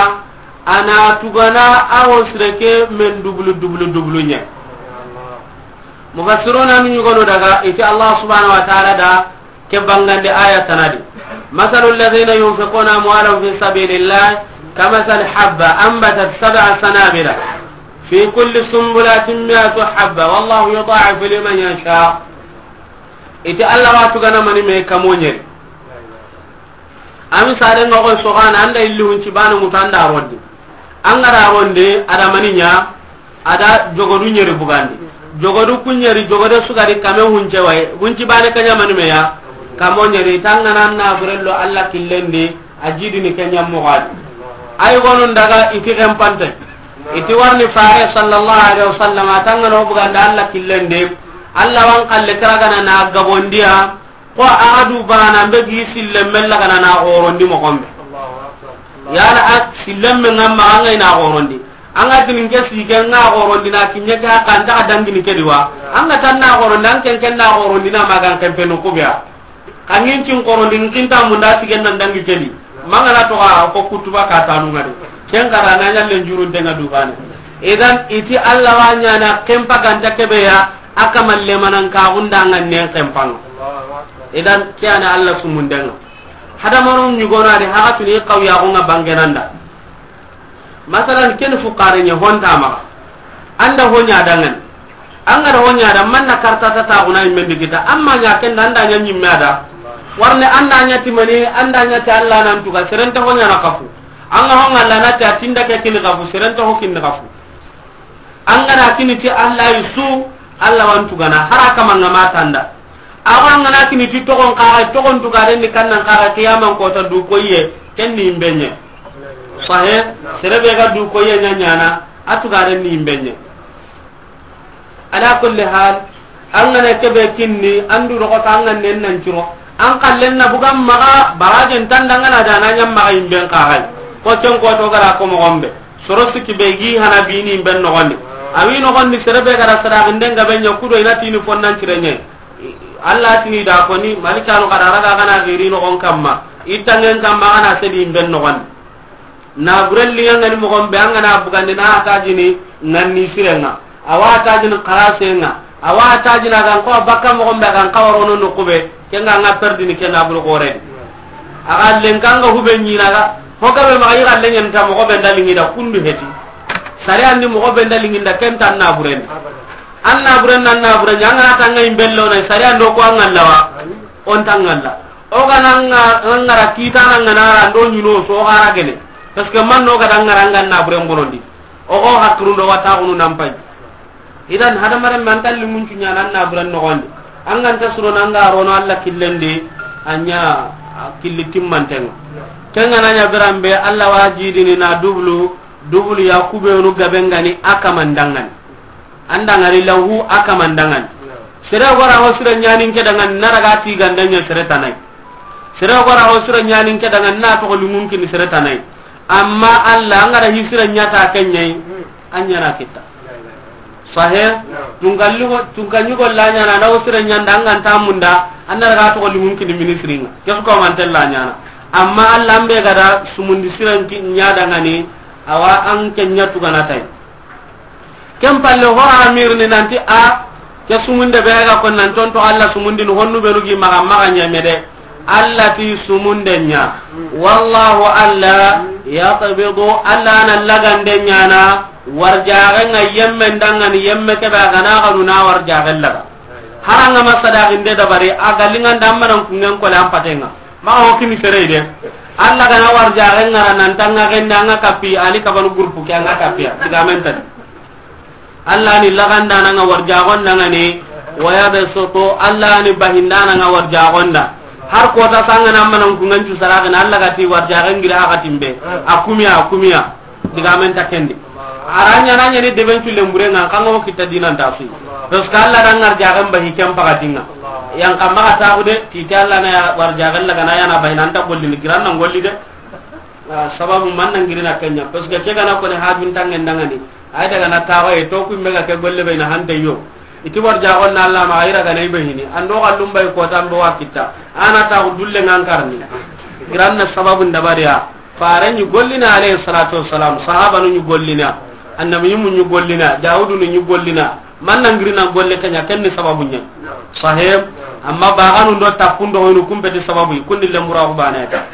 a na tugana a wo sire ke men dubulu, dubulu, dubulu ɲa. Mufassiruna nu ɲugono daga, i ti Allah subhanahu wa ta'ala da ke bangande aya tana di. مثل الذين ينفقون أموالهم في سبيل الله كمثل حبة أنبتت سبع سنابل في كل سنبلة مائة حبة والله يضاعف لمن يشاء. I ti Allah wa tugana mani me kamo ɲeri. A misale nga koy sogana, an da illi hunci bane ŋutu an da rondi. An ga da rondi, a da mani ɲa, a da jogodu ɲeri bugandi. Jogodu ku ɲeri, jogode su ga di kame hunce wayi. Hunci bane ke ɲa mani me ya, kamo ɲeri. Tangana na burello Allah killen di, a jidini ke ɲa moxo di. Ay gonun daga i ti xenpante. I ti warni Faare sallallahu alaihi wasallam, a tangana o bugandi Allah killen di. Allah wa an xalle kira gana na gabondiya. Ko a du bana be gi sille mella gana na xorondi moxo be. Yala a sille me nga ma an ga na xorondi. An ga tini ke si ke nga xorondi na kinye ka kan ta dangini ke diwa. An ga tan na xorondi, an ken ken na xorondi na magan ken penu kubiya. Kangin cin xorondi kin ta munda si ken nan dangi ke di. Mangana to a ko kutuba ka tanu ngade. Ken kara na nyalle njurun tenga du bana. Idan i ti Allah wa ɲana ken paganta ke be ya. A kamalle manan ka gunda nga nen kempang. Idan ke ya ni Allah sumundenga. Hadamaru ɲugona di haga tuni kawya ko nga bangenanda. Masalan ken fukare ɲa honta ma. An da ho ɲa dangan. An ga da ho ɲa da manna karta ta ta guna immen di kita. Amma ɲa ken da an da ɲa ɲimme da. Warne an da ɲa ti mani, an da ɲa ti Allah nan tuga serenta ho ɲa na kafu. An ga ho nga Allah na ta tinda ke kin kafu, serenta ho kin kafu. An ga na kini ti Allah yi su, Allah wa an tugana, hara kama nga ma tanda. Awa an ga na kini ti togon kaga, togon tugaren ni kannan kaga, kiyaman kota du koye, ken ni imbenye. Sahe, sere be ga du koye ɲa ɲana, a tugaren ni imbenye. Ala kulli hal, an ga na ke be kinni, an du rogo ta an ga nen nan ciro. An kallen na bugan maga, barajen tanda nga na da na ɲam maga imben kaga. Ko cen ko to gara ko moxo be. Soro sikki be gi hana bini ben noxondi. A wi noxondi sere be gara sadaxinde nga be ɲa kudo i na tini fonnan cire ɲa. Allah tini da koni, malikanu kada raga gana giri noxon kamma. I tangen kamma gana sedi ben noxondi. Na burelli nga ni moxo be an ga na bugandi na tajini nganni sirenga. Awa tajini xarasenga. Awa tajini a ga n ko bakka moxo be a ga n kawarono no kube. Ken nga nga perdini ken na buru gore. A ga lenka nga hube ɲina ga. Ho ga be ma i ga lenyen ta moxo be nda lingi da kundu heti. Sare andi moxo be nda lingi da ken tan na buren. An na buren nan na buren an ga na tanga imbello na sare ando ko an ga lawa. On tanga la. O ga na nga ngara kita na nga na ra ndo ɲuno so gara gene. Parce que man no ga da ngara nga na buren bonondi. O go hakru ndo wata gunu nan pay. Idan hadamaren me an ta limun cuɲa nan na buren noxondi. An ga nta suro nan ga rono Allah killen di, a ɲa killi timmantenga. Kenga na ɲa biran be Allah wa jidini na dubulu, dubulu ya kubenu gabe nga ni a kamandangani. An da ngari lahu a kamandangani. Sere gora ho sire ɲanin ke dangan na raga ti gandanya sere tanai. Sere gora ho sire ɲanin ke dangan na to limun kini sere tanai. Amma Allah an ga da hi sire ɲata kenyai. An ɲana kita. Sahe, tunkalli ko, tunkanyi ko la ɲana na o sire ɲanda an ga nta munda, an na raga to limun kini ministringa. Kesu ko man tella ɲana. Amma Allah an be ga da sumundi siren ki ɲa dangani, awa an kenya tugana tay. Ken palle ho amir ni nanti a, ke sumunde be ga ko nan tonto Allah sumundi no honnu be rugi maga maga ɲamede. Allah ti sumunden ɲa. Wallahu Allah yaqbidu, Allah na lagande ɲana, warjaxe nga yemme ndangani yemme kebe a gana ganu na warjaxe laga. Haranga ma sadaxinde dabari, a galinga ndammanan kungen kole an patenga. Ma o kini sere de. Allah gana warjaxe ngara nan tanga genda nga kapi, ali kabanu groupe ke nga kapiya. Tigamen tadi. Allah ni lagandana nga warjagon dangani, wa yabsutu, Allah ni bahindana nga warjagon da. Har kota sanga na manan ku ngancu saragana, Allah gati warjagon gira hakatimbe. Akumiya, akumiya. Digamen takendi. Aranya nanya ni deben cu lembure nga kanga ho kita dinan tasu. Parce que Allah dan warjagon bahi kem pagatinga. Yang kamma ka taxude, titi Allah na warjagon lagana yana bahinanta golli ni giran nan golli de. Ah, sababu man nan girina kenya, parce que ke gana ko ne hajun tangen dangani. Ay daga na tawa e to ku mega ke golle be na hande yo. Iti warjagon na Allah ma ayra gana ibe hini. Ando gallum bay ko tambe wa kitta. Ana ta dulle ngan karni. Giranna sababu ndabariya. Fare ni gollina, alayhi salatu wassalam, sahabanu ni gollina, annabi mu ni gollina, Dawudu ni gollina. Man na ngirina golle ke ɲa, ken ni sababu ɲa. Sahih. Amma baganu do tappun do hoynu, kun peti sababu, kun ni lembura ku bane ta.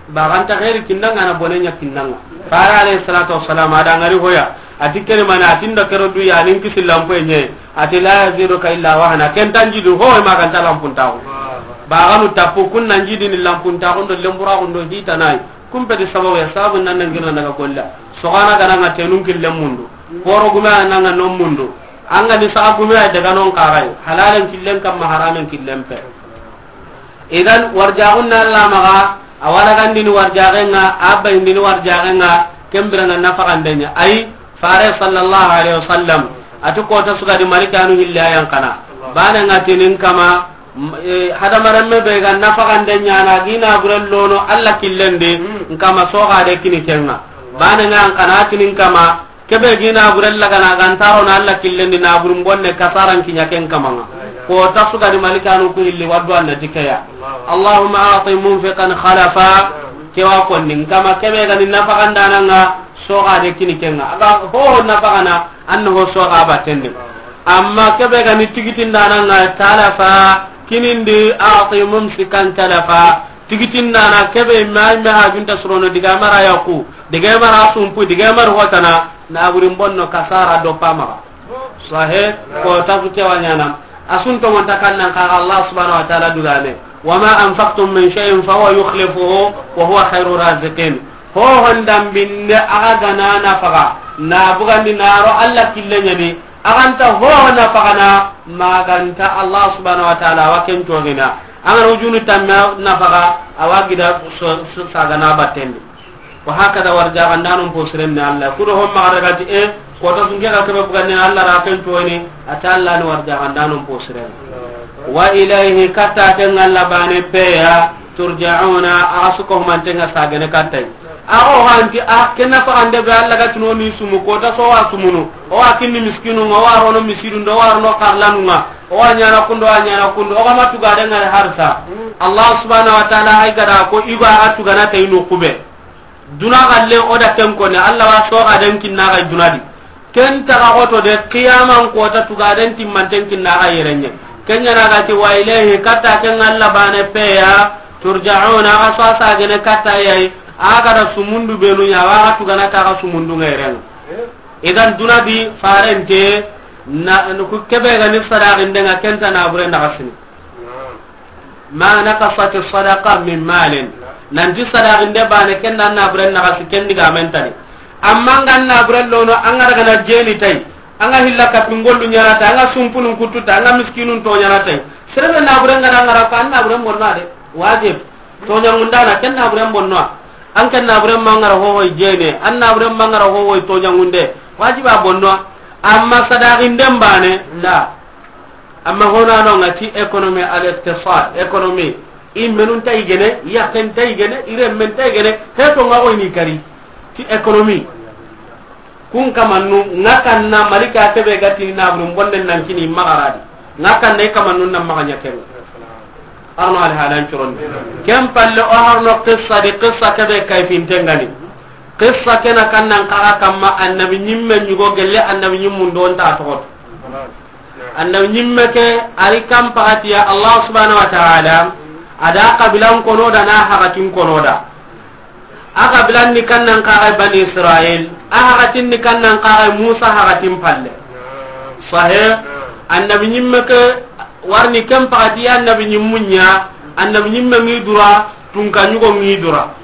Baganta xeeri kinnanga na bone ɲa kinnanga. Fare alayhi salatu wassalam, a da ngari hoya. A ti keri mana, a ti nda kero du ya nin kisi lampu ɲe. A ti la yaziduka illa wahna. Ken tan jidi ho ma kan ta lampuntaxu. Baganu tappu kun nan jidi ni lampuntaxu do lemburaxu do hitanayi. Kun peti sababu ya, sababu nan nan girna daga golla. Sogana gana nga tenun killen mundu. Poro gume a nan nga non mundu. An ga ni saxa gume a daga non kaxay. Halalen killen kamma haramen killen pe. Idan warjaxun na Allah maxa, a wala gandini warjaxen ŋa, a bayindini warjaxen ŋa, ken biranŋa nafaxanden ɲa. Ayi, fare sallallahu alaihi wasallam, a ti kota su ga di malikanu hilli a yan kana. Bane ŋa tinin kama, m-, eh, hadamarenme be ga nafaxanden ɲana, gina buren lono Allah killen di, nkama soxa de kini ken ŋa. Bane ŋa an kana tinin kama, kebe gi naburen lagana gantaro na Allah killen di, naburin bonne kasaran kiɲa ken kamanŋa. Kota su ga di malikanu ku hilli waddu an na ti ke ya. Allahumma a'ti munfiqan khalafa, kewa konni, nkama kebe ga ni nafaxandanan ŋa, soxa de kini ken ŋa. A ga ho ho nafaxana, an na ho soxa batten di. Amma kebe ga ni tigitindanan ŋa, talafa, kinindi, a'ti mumsikan talafa. Tigitindana kebe ma, ma hajunta surono, diga mara yaku, diga mara sumpu, diga mara hotana, naburin bonno kasara do pamaxa. Sahe, kota su kewa ɲana. A sun tongonta kannan kaxa Allah subhanahu wa ta'ala dugane. Wa ma anfaqtum min shay'in fa huwa yukhlifuhu wa huwa khairu raziqin. Ho hondan binne a ga gana nafaxa, na bugandi na ro Allah killen ɲa ni, a ga nta ho nafaxana, ma ga nta Allah subhanahu wa ta'ala wa ken togina. An ga na wujunu tamme nafaxa, a wa gida so, so, sagana batten di. Wa hakada warjaxandanon posiren ni Allah. Kudo homma xa daga ti, e, kota su nke ga kebe bugandi na Allah ra ken toni, a ta Allah ni warjaxandanon posiren. Wa ilayhi, katta ken Allah bane peya, turja'una, a ga su ko humanten ŋa sagene kattay. A o hanti, a, ken nafaxande be Allah ga tino ni sumu, kota so wa sumunu. O wa kinni miskinu ŋa, o wa rono misidu ndo, o wa rono karlanu ŋa. O wa ɲana kundo, o wa ɲana kundo, o ga ma tugaden ŋa harsa. Allah subhanahu wa ta'ala hay gada ko igo a ga tugana tay no kube. Duna galle o da ken kone, Allah wa soxa den kinna ga duna di. Ken taga xoto de, qiyaman kota tugaden timmanten kinna ga yerenye. Ken ɲana ga ti wa ilayhi, katta ken Allah bane peya, turja'una, a ga so sagene katta yayi, a ga da sumundu benu ɲa, wa ga tugana ta ga sumundu ŋa yeren. Idan duna di farente, na, ku kebe ga ni sadaxinde ŋa, ken ta nabure naxasini. Ma naqasat sadaqa min malin. Nanti sadaxinde bane ken da naburen naxasi ken digamen tani. Amma an ga naburen lono, an ga daga na jeni tay, an ga hilla kapingollu ɲana tay, an ga sumpunun kuttu tay, an ga miskinun to ɲana tay. Serebe naburen ga da an ga ra ko an naburen bonno de. Wajib. To ɲangundana ken naburen bonno. An ken naburen mangara hohoy jene, an naburen mangara hohoy to ɲangunde. Wajiba bonno. Amma sadaxinden bane, la. Amma honano ŋa ti économie, al-iqtisad, économie. I menun tay gene, yaken tay gene, i remmen tay gene, he to ŋa o ni kari. Ti économie. Kun kamannu, ŋa kanna malika kebe ga tini naburin bonnen nan kini magaradi. Ŋa kanna i kamannu nan maga ɲa kebe. Arno alhalan curon. Ken palle o harno qissa di, qissa kebe kayfintengani. Qissa kena kannan kaga kamma annabi ɲimme ɲugo gelle annabi ɲimmun do nta toxoto. Annabi ɲimme ke, ari kan pagatiya Allah subhanahu wa ta'ala, a da kabilan kono da na hagatin kono da. A kabilan ni kannan kaga Bani Israil, a hagatin ni kannan kaga Musa hagatin palle. Sahe, annabi ɲimme ke, warni ken pagatiya annabi ɲimmun ɲa, annabi ɲimme ngi dura, tunka ɲugo ngi dura.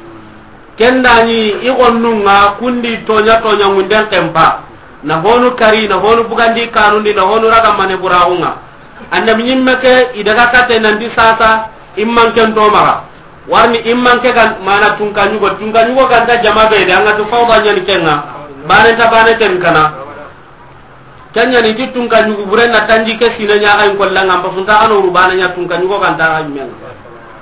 Ken da ni i gonnun ŋa kundi toɲa toɲa ŋunden kempa. Na honu kari, na honu bugandi kanundi, na honu raga mane buraxu ŋa. Annabi ɲimme ke i daga kate nanti sasa, imman ken to maxa. Warni imman ke gan mana tunka ɲugo, tunka ɲugo ganta jama be de, an ga tu fawda ɲani ken ŋa. Bane ta bane ten kana. Kenya ni ti tunka ɲugu buren na tanji ke sine ɲaga in kolla ŋa, mba sunta ano rubana ɲa tunka ɲugo ganta ga men.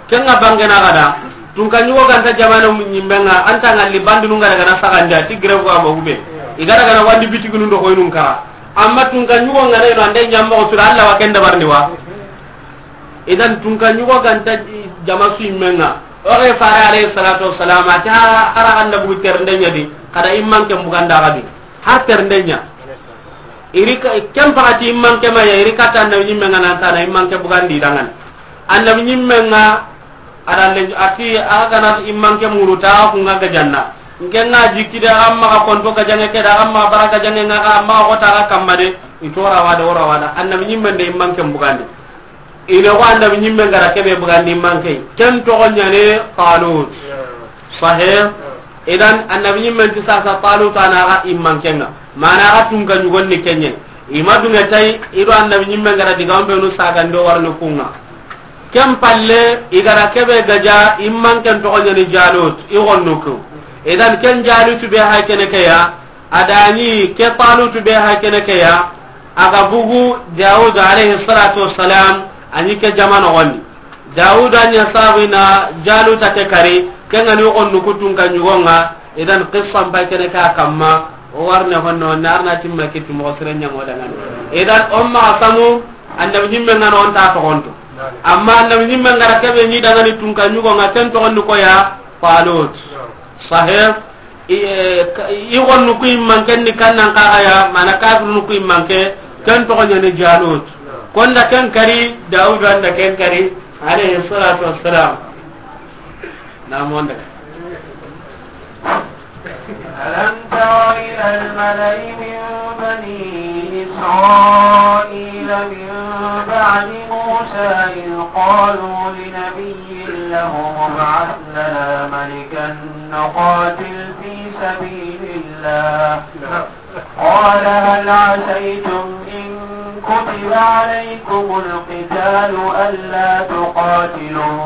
Ken ŋa bange na gada, tunka ɲugo ganta jamana mun ɲimbe ŋa, anta ngalli bandinu ŋa daga na saganja, ti grève ko amba hube. I ga daga na wandi bitiginu ndo koynun kara. Amma tunka ɲugo ŋa na ino ande ɲammo ko sura Allah wa ken dabarni wa. Idan tunka ɲugo ganta jama su yimme ŋa. O ga fare alayhi salatu wassalam, a ti ha, hara ganda bugu terende ɲa di, kada imman ke buganda ga di. Ha terende ɲa. Iri ka, ken pakati imman ke ma ya, iri kata annabi ɲimme nga nan tana imman ke bugandi dangan. Annabi ɲimme nga, ada le, a ti, a ga na imman ke muruta, ku nga gajanna. Nke nga jikki da, amma ga konto gajange ke da, amma bara gajange nga, amma ga kota ga kamma de, i to ra wada, o ra wada. Annabi ɲimme nde imman ke bugandi. Ine ko annabi ɲimme gara kebe bugandi manke. Ken toxo ɲane Talut. Sahih. Idan annabi ɲimme ti sasa Talut ana ga immanke nga. Mana ga tunka ɲugon ni kenye. Ima dunga tay ido annabi ɲimme gara diga on be nu saga ndo warno kunga. Ken palle igara kebe gaja immanken toxo ɲane Jalut. I gonno ko. Idan ken Jalut be hay kene ke ya. Adani ke Talutu be ha kene ke ya, a ga bugu Dawud alayhi salatu wassalam, a ni ke jama noxondi. Dawud a ɲa sabu i na Jaluta ke kari, ke nga ni o nuku tunka ɲugo nga, idan qissa mpa kene ka kamma, o warne honno, na arna timma kitti moxo sire ɲa mo dangani. Idan o ma samu, annabi ɲimme nga no o nta toxonto. Amma annabi ɲimme nga ra kebe ni dangani tunka ɲugo nga, ken toxondi ko ya, Talut. Sahih. I, eh, ka-, i gonnu ku immanken ni kannan kaga ya, mana kafirunu ku immanke, ken toxo ɲani Jalut. Konda ken kari, Dawud anda ken kari, alayhi salatu wassalam. Na monda. ألم تر إلى الملأ من بني إسرائيل من بعد موسى إذ قالوا لنبي لهم ابعث لنا ملكا نقاتل في سبيل الله. قال هل عسيتم إن كتب عليكم القتال ألا تقاتلوا؟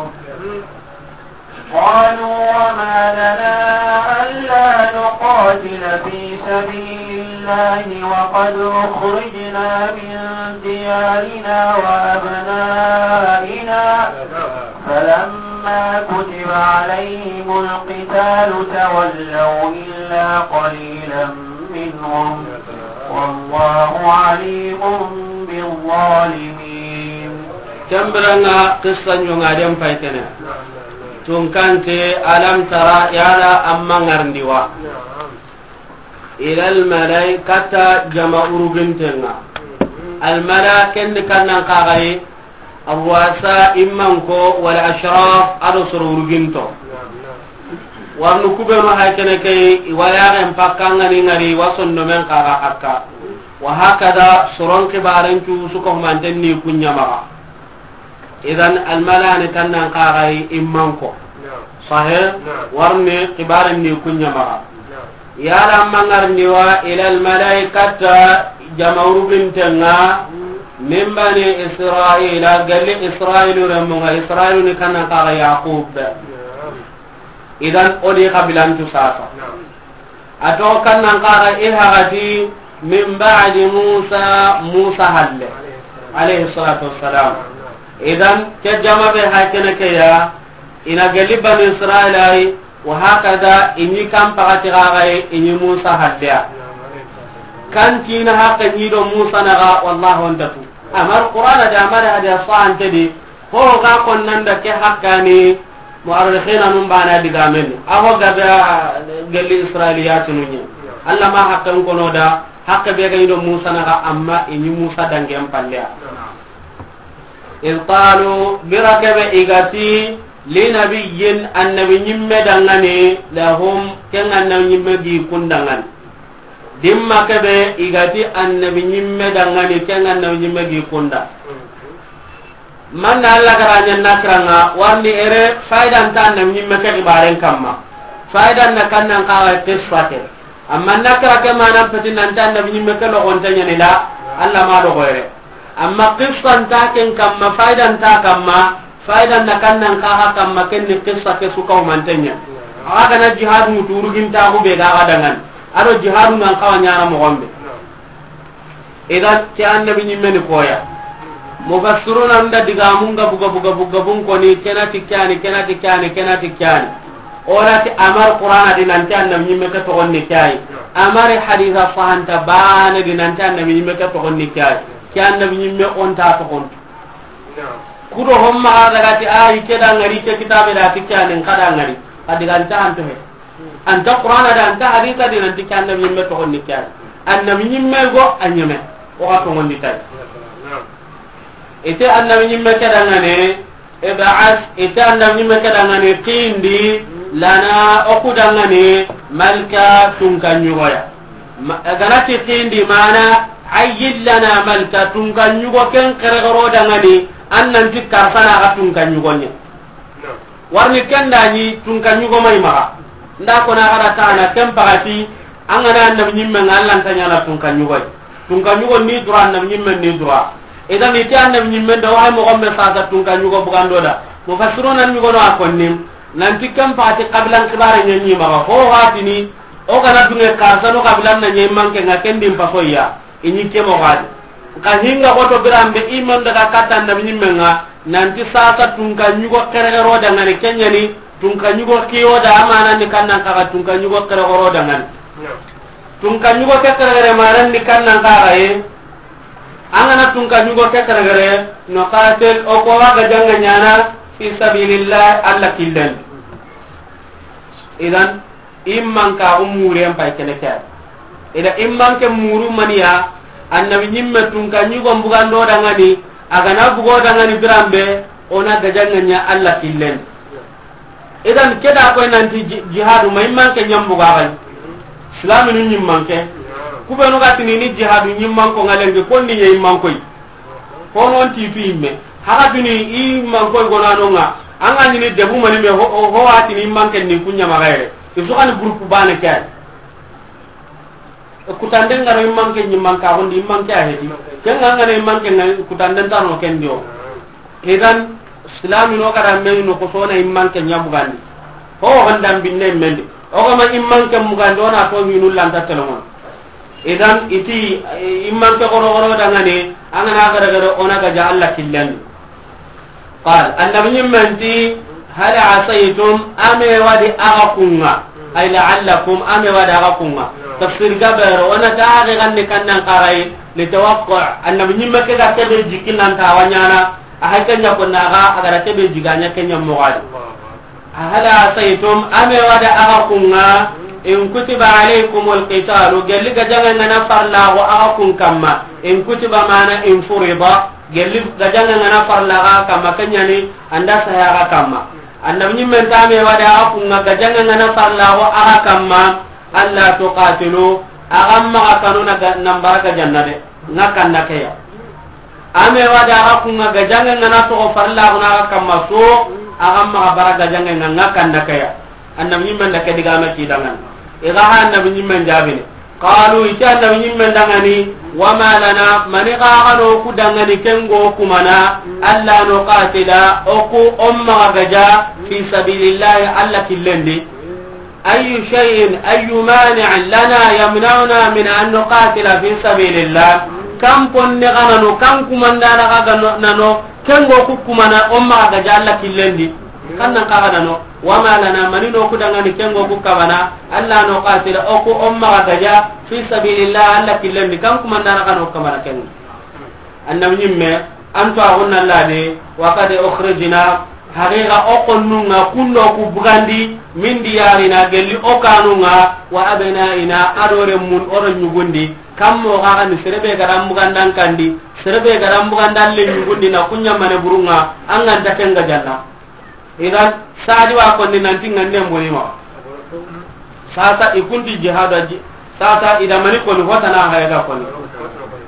قالوا وما لنا ألا نقاتل في سبيل الله وقد أخرجنا من ديارنا وأبنائنا فلما كتب عليهم القتال تولوا إلا قليلا منهم والله عليم بالظالمين. Kembiranga qissa ɲonga den pay kene. Tunkante alam tara yala amma ngarndi wa. Ilal malai kata jama urugintenga. Al mala kendi kannan kagaye. Arwasa immanko wala ashraf ado soro uruginto. Warnu kubenu hay kene kay wala ren pakka ngani ngari wasonno men kaga hakka. Wa hakada soron kibaren cu suko manten ni kunyamaga. Idan almalani kannan kagai immanko. Sahe. Warni kibaren ni kunyamaga. Yala mangarni wa ila almalaikata jama urugintenga min bani Israila, galli Israilu remunga, Israilu ni kannan kaga Yaqub. Idan odi kabilantu sasa. A to kannan kaga ilhagati min ba'di Musa, Musa halle alayhi salatu wassalam. Idan ke jama be hakene ke ya, ina galli bani Israila yi, wa hakada ini kan pagati gaga yi, ini Musa halle ya. Kan tina haka ni do Musa naga, wallahu antatu. Amar Qur'ana da amara hadiya sahante di, ho ga konnanda ke hakkani, mu'arrikhina num bana digamen. Aho gada gelli Israiliyatunu ni. Allah ma hakkan kono da, hakka be ga ido Musa naga amma ini Musa dangen palleya. Iz qalu, bira kebe igati, li nabiyyin, annabi nyimme dangani, lahum, ken annabi nyimme gi kundangani. Dimma kebe igati annabi nyimme dangani, ken annabi nyimme gi kunda. Manna Allah garanya nakranga, warni ere faidan ta annabi nyimme ke gibaren kamma. Faidan na kannan kawa qissate. Amma nakra ke manan peti nan ta annabi nyimme ke logonte nyani la, Allah ma logoyre. Amma qissan ta ken kamma, faidan ta kamma, faidan na kannan kaga kamma ken ni qissa ke suka umantenya. Aga na jihad muturu ginta ku be ga dangan. Ado jihadu nan kawa nyana mo gombe. Idan ke annabi nyimme ni koya. Mufassiruna nda diga munga buga buga buga bun koni kenati kyani, kenati kyani, kenati kyani. Ora ti amar Qur'ana di nanti annabi nyimme ke to onni kyai. Amari haditha fahanta bane di nanti annabi nyimme ke to onni kyai. Ke annabi nyimme onta to on. Kudo homma ga daga ti a yi ke da ŋari, ke kitabe da ti ke anin ka da ŋari. A diga anta anto he. Anta Qur'ana da, anta hadisa di, nanti ke annabi nyimme toxo ni ke ani. Annabi nyimme go a nyeme. O ga toxo ndi tay. Ite annabi nyimme ke da ŋane, ib'as, ite annabi nyimme ke da ŋane, kindi, lana, o ku da ŋane, malka, tunka nyugoya. Ma-, ganati kindi mana, ayyil lana malka, tunka nyugo ken xerexero da ŋani, an nanti karsana ga tunka nyugo nye. Warni ken da ni tunka nyugo may maxa. Nda ko na gara ta na ken pagati, an ga na annabi nyimme ŋa, Allah nta nyana tunka nyugo. Tunka nyugo ni dura, annabi nyimme ni dura. Idan ite annabi nyimme da wa mo gombe sasa tunka nyugo bugando da. Mufassiruna ni gono a konni. Nanti ken pagati kabilan kibare nyanyi maxa. Ho hatini, o ga na dunge karsano kabilan na nyi manke ŋa, ken di mpaso ya. I ni ke mo gadi. Ka hinga goto birambe iman daga kata annabi nyimme ŋa, nanti sasa tunka nyugo xerexero da ŋani, ken ɲa ni tunka nyugo kiyo da, amana ni kannan kaga tunka nyugo xerexero da ŋani. Tunka nyugo ke xerexere manan ni kannan kaga ye. An ga na tunka nyugo ke xerexere, nuqatil, o ko wa ga janga nyana fi sabilillah, Allah killen. Idan, imman ka umuren pay kene ke. Ida imman ke muru maniya, annabi nyimme tunka nyugo bugando da ŋani, a ga na bugo da ŋani birambe, o na ga janga nya Allah killen. Idan ke da koy nanti ji-, jihadu ma imman ke nyambuga bay. Islaminu nyimman ke. Kubenu ga tini ni jihadu nyimman ko ŋalenge konni ye imman koy. Hono nti tu imme. Haga tuni imman koy gonano ŋa. An ga ni debu mani me ho, ho, ho atini imman ke ni kunya magayre. Isu kan groupe bane ke. Kutanden ga ro imman ke nyimman ka hondi imman ke a hedi. Ken ga ngana imman ke ngai kutanden tano ken dio. Idan, Islamino kada meni no ko sona imman ke nya bugandi. Ho hondan binne mendi. O ga ma imman ke mugandi, o na to hinu lanta telemon. Idan, iti, eh, imman ke goro goro da ŋani, an ga na gare gare o na ga ja Allah killen. Qal, annabi nyimme nti, hal asaytum, ame wadi aga kunga, ay la'allakum, ame wadi aga kunga. Tafsir gabero, o na ta age ganni kannan kagai, li tawaqqa, annabi nyimme ke ga kebe jikinan ta wanyana, a hakke ɲa ko naga a ga ra kebe jiganya ke ɲa mogadi. Hal asaytum, ame wada aga kunga, in kutiba alaykumul qitalu, gelli ga janga ngana farla go aga kun kamma, in kutiba mana in furida, gelli ga janga ngana farla aga kamma, kenyani anda saya aga kamma. Annabi nyimme nta ame wada aga kunga ga janga ngana farla go aga kamma, alla tuqatilu, aga maga kanu na ga-, nambara ga janna de, nga kanda keya. Ame wada aga kunga ga janga ngana to farla guna aga kamma so, aga maga bara ga janga nga, nga kanda keya. Annabi nyimme nda ke diga ma ki dangan. Iga ha annabi nyimme jabini. Qalu, ita annabi nyimme dangani, wa ma lana, mani ga gano ku dangani kengo kumana, alla nuqatila, oku umma ga ja, fi sabilillahi, alla killendi. Ayyu shay'in, ayyu mani'in lana yamna'una min an nuqatila fi sabilillah. Kan ponne ga nano, kan kumandana ga ga no-, nano, kengo ku kumana, umma ga ja alla killendi. Kan nan ka ga nano, wa ma lana, mani no ku dangani kengo ku kabana, alla nuqatila, oku umma ga ja, fi sabilillah, alla killendi, kan kumandana ga no kamana kengo. Annabi nyimme, anto agunna lade, wa qad ukhrijna, haqiqa o konnunga kundo ku bugandi, min diyarina, gelli o kanunga, wa abnaina, adore mun, oro nyugundi, kammo gaga ni serebe gadan bugandan kandi, serebe gadan bugandan le nyugundi na kunya mane burunga, anganta kenga janna. Idan, sadi wa konni nanti ngande mboni ma. Sasa ikunti jihadu aji. Sasa ida mani koni hotana haya ga koni.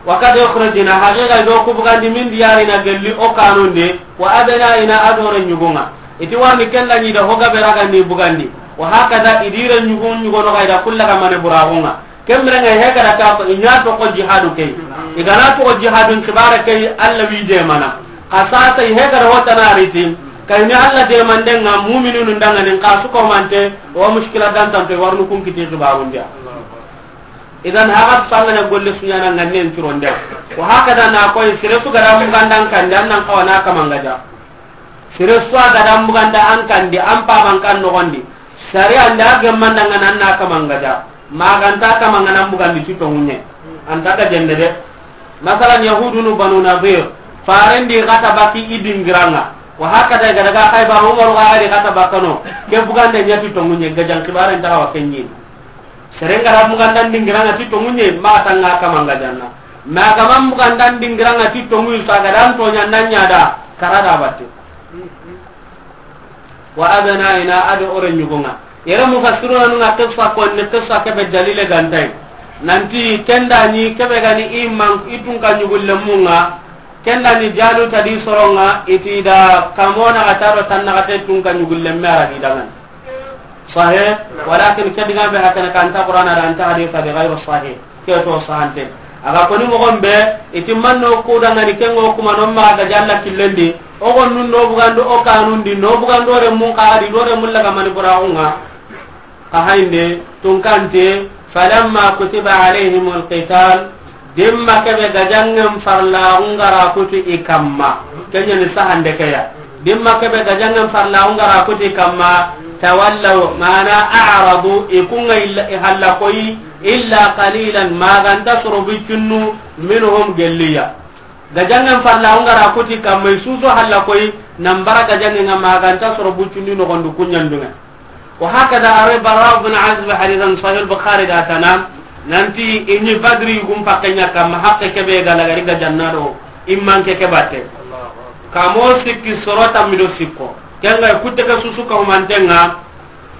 Wa qad ukhrijna, haqiqa do ku bugandi, min diyarina, gelli o kanunde, wa abnaina, adore nyugunga. Iti wani kenda ni da hoga beraga ni bugandi. Wa hakada idire nyugun nyugono ga ida kullaga mane buragunga. Kemrenga hegara ka ko inya to ko jihadu kay. Igana to ko jihadun kibara kay, alla wi de mana. Kasata hegara hotana riti. Kay ni alla de mandenga mu'minun danga nin kasu ko mante, wa mushkila dan tanto warnu kun kiti kibarun dia. Idan haga sangana golle sunyana nganen turonde. Wa hakada na ko sire su gara mugandan kan dan nan kawana kamanga ja. Sere su a ga da mbuganda an kandi, an paban kan nogondi. Sari anda a gemmandanga nan na kamanga ja. Maganta kamanga nan bugandi ti tongunye. Anta ga jende de. Masalan, Yahudunu Banu Nadir. Farendi xata baki i dingiranŋa. Wa hakada ga daga Xaybar, Umaru ga di xata bakano. Ke bugande ɲa ti tonŋu ɲe, gajan xibaren taxa wa ke ɲi. Seren ga ra mugandan dingiranŋa ti tonŋu ɲe, ma tanga kama nga janna. Ma kama mugandan dingiranŋa ti tonŋu, i sa ga dan toɲa nan ɲa da, kara da batte. Wa abnaina, ado ore ɲugonŋa. Yere mufassiruna nunga qissa ko ni qissa kebe dalile gantay. Nanti kenda ni kebe gani iman itun ka ɲugullemunŋa. Kenda ni Jaluta di soronŋa, iti da kamona ataro tanna kate tun ka ɲugullemme ara di dangan. Sahih, walakin ke diga be hakana kanta Qur'ana da anta hadisa di ghayru sahih. Ke to sante. Aga koni mogon be, iti manno ku dangani kengo kuma no ma ga jalla killendi. O gon nun no bugando o kanundi, no bugando re mun ka di do re mun laga mani buraunga. Ka hainde, tunkante, falamma kutiba alayhimul qital, dimma kebe gajangen farla ungara kuti i kamma. Kenya ni sahande keya. Dimma kebe gajangen farla ungara kuti kamma, tawallaw, mana a'radu, ikunga illa, ihalla koyi, illa qalilan, maganta soro buccunnu, minhum gelliya. Gajangen farla ungara kuti kamma, isuso halla koyi, nambara gajangen nga maganta soro buccunnu nogondu kunyandunga. Wa hakada awe Bara bin Azib hadisan Sahih Bukhari da tana, nanti ini Badri gum pakenya kamma hakke kebe gala gari gajanna do, imman ke kebate. Kamo sikki soro tammido sikko. Kenga kutte ke susu ka humantenga,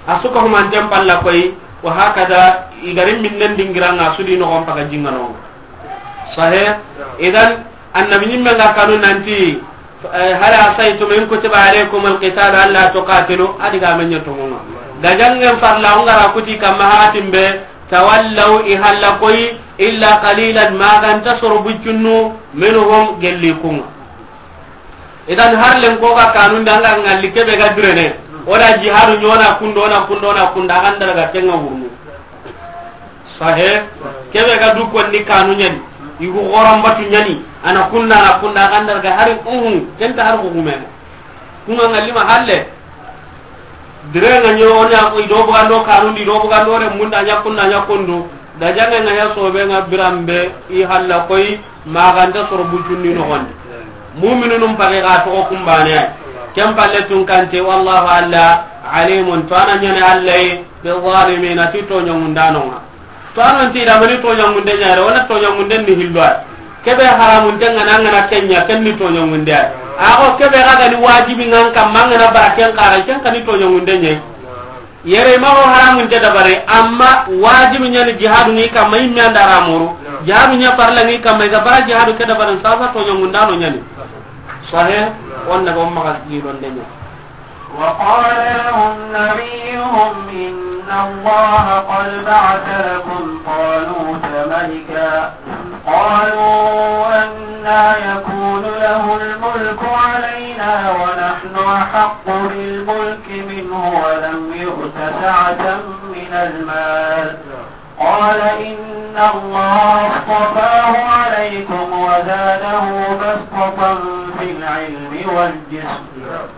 a su ka humanten palla koy, wa hakada i gari minnen dingiranga su di nogon paga jingano. Sahih? Idan, annabi nyimme nga kanu nanti, eh, hal asaytum in kutiba alaykum alqital alla tuqatilu, adi ga men nyato ngonga. Gajangen farla ungara kuti kamma hatimbe, tawallaw i halla koy, illa qalilan maganta soro buccunnu, minhum gellikunga. Idan har len ko ga kanun da nga ngalli kebe ga birene. O da jihadu nyona kundo na kundo na kunda kan daga kenga wurnu. Sahe, kebe ga du ko ni kanu nyani. Igu goran batu nyani. Ana kunda na kunda kan daga hari uhu kenta har ko gumen. Kuma ngalli ma halle. Direnga nyo onya ko ido bugando kanu di do bugando re munda nya kunda nya kundu. Gajange nga ya sobe nga birambe i halla koy maganta soro bucunni nogondi. Mu'minunum page ga togo kumbane. Ken palle tunkante wallahu alla alimun to ana nyane allay bi zalimina ti to nyongundanonga. To anon ti da mani to nyongunde nyare wala to nyongunde ni hilwa. Kebe haramun tenga na ngana kenya ken ni to nyongunde. Ago kebe ga ni wajibi ngan kam mangana baraken kara ken kan ni to nyongunde nyai. Yere ma o haramun te dabare, amma wajibi nyani jihadu ni kamma imme anda ramuru. Jihadu nya farla ni kamma iga bara jihadu ke dabare sasa to nyongundano nyani. Sahe, onna go maga gilon denya. وقال لهم نبيهم إن الله قد بعث لكم طالوت ملكا. قالوا أنى يكون له الملك علينا ونحن أحق بالملك منه ولم يؤت سعة من المال. قال إن الله اصطفاه عليكم وزاده بسطة في العلم والجسم.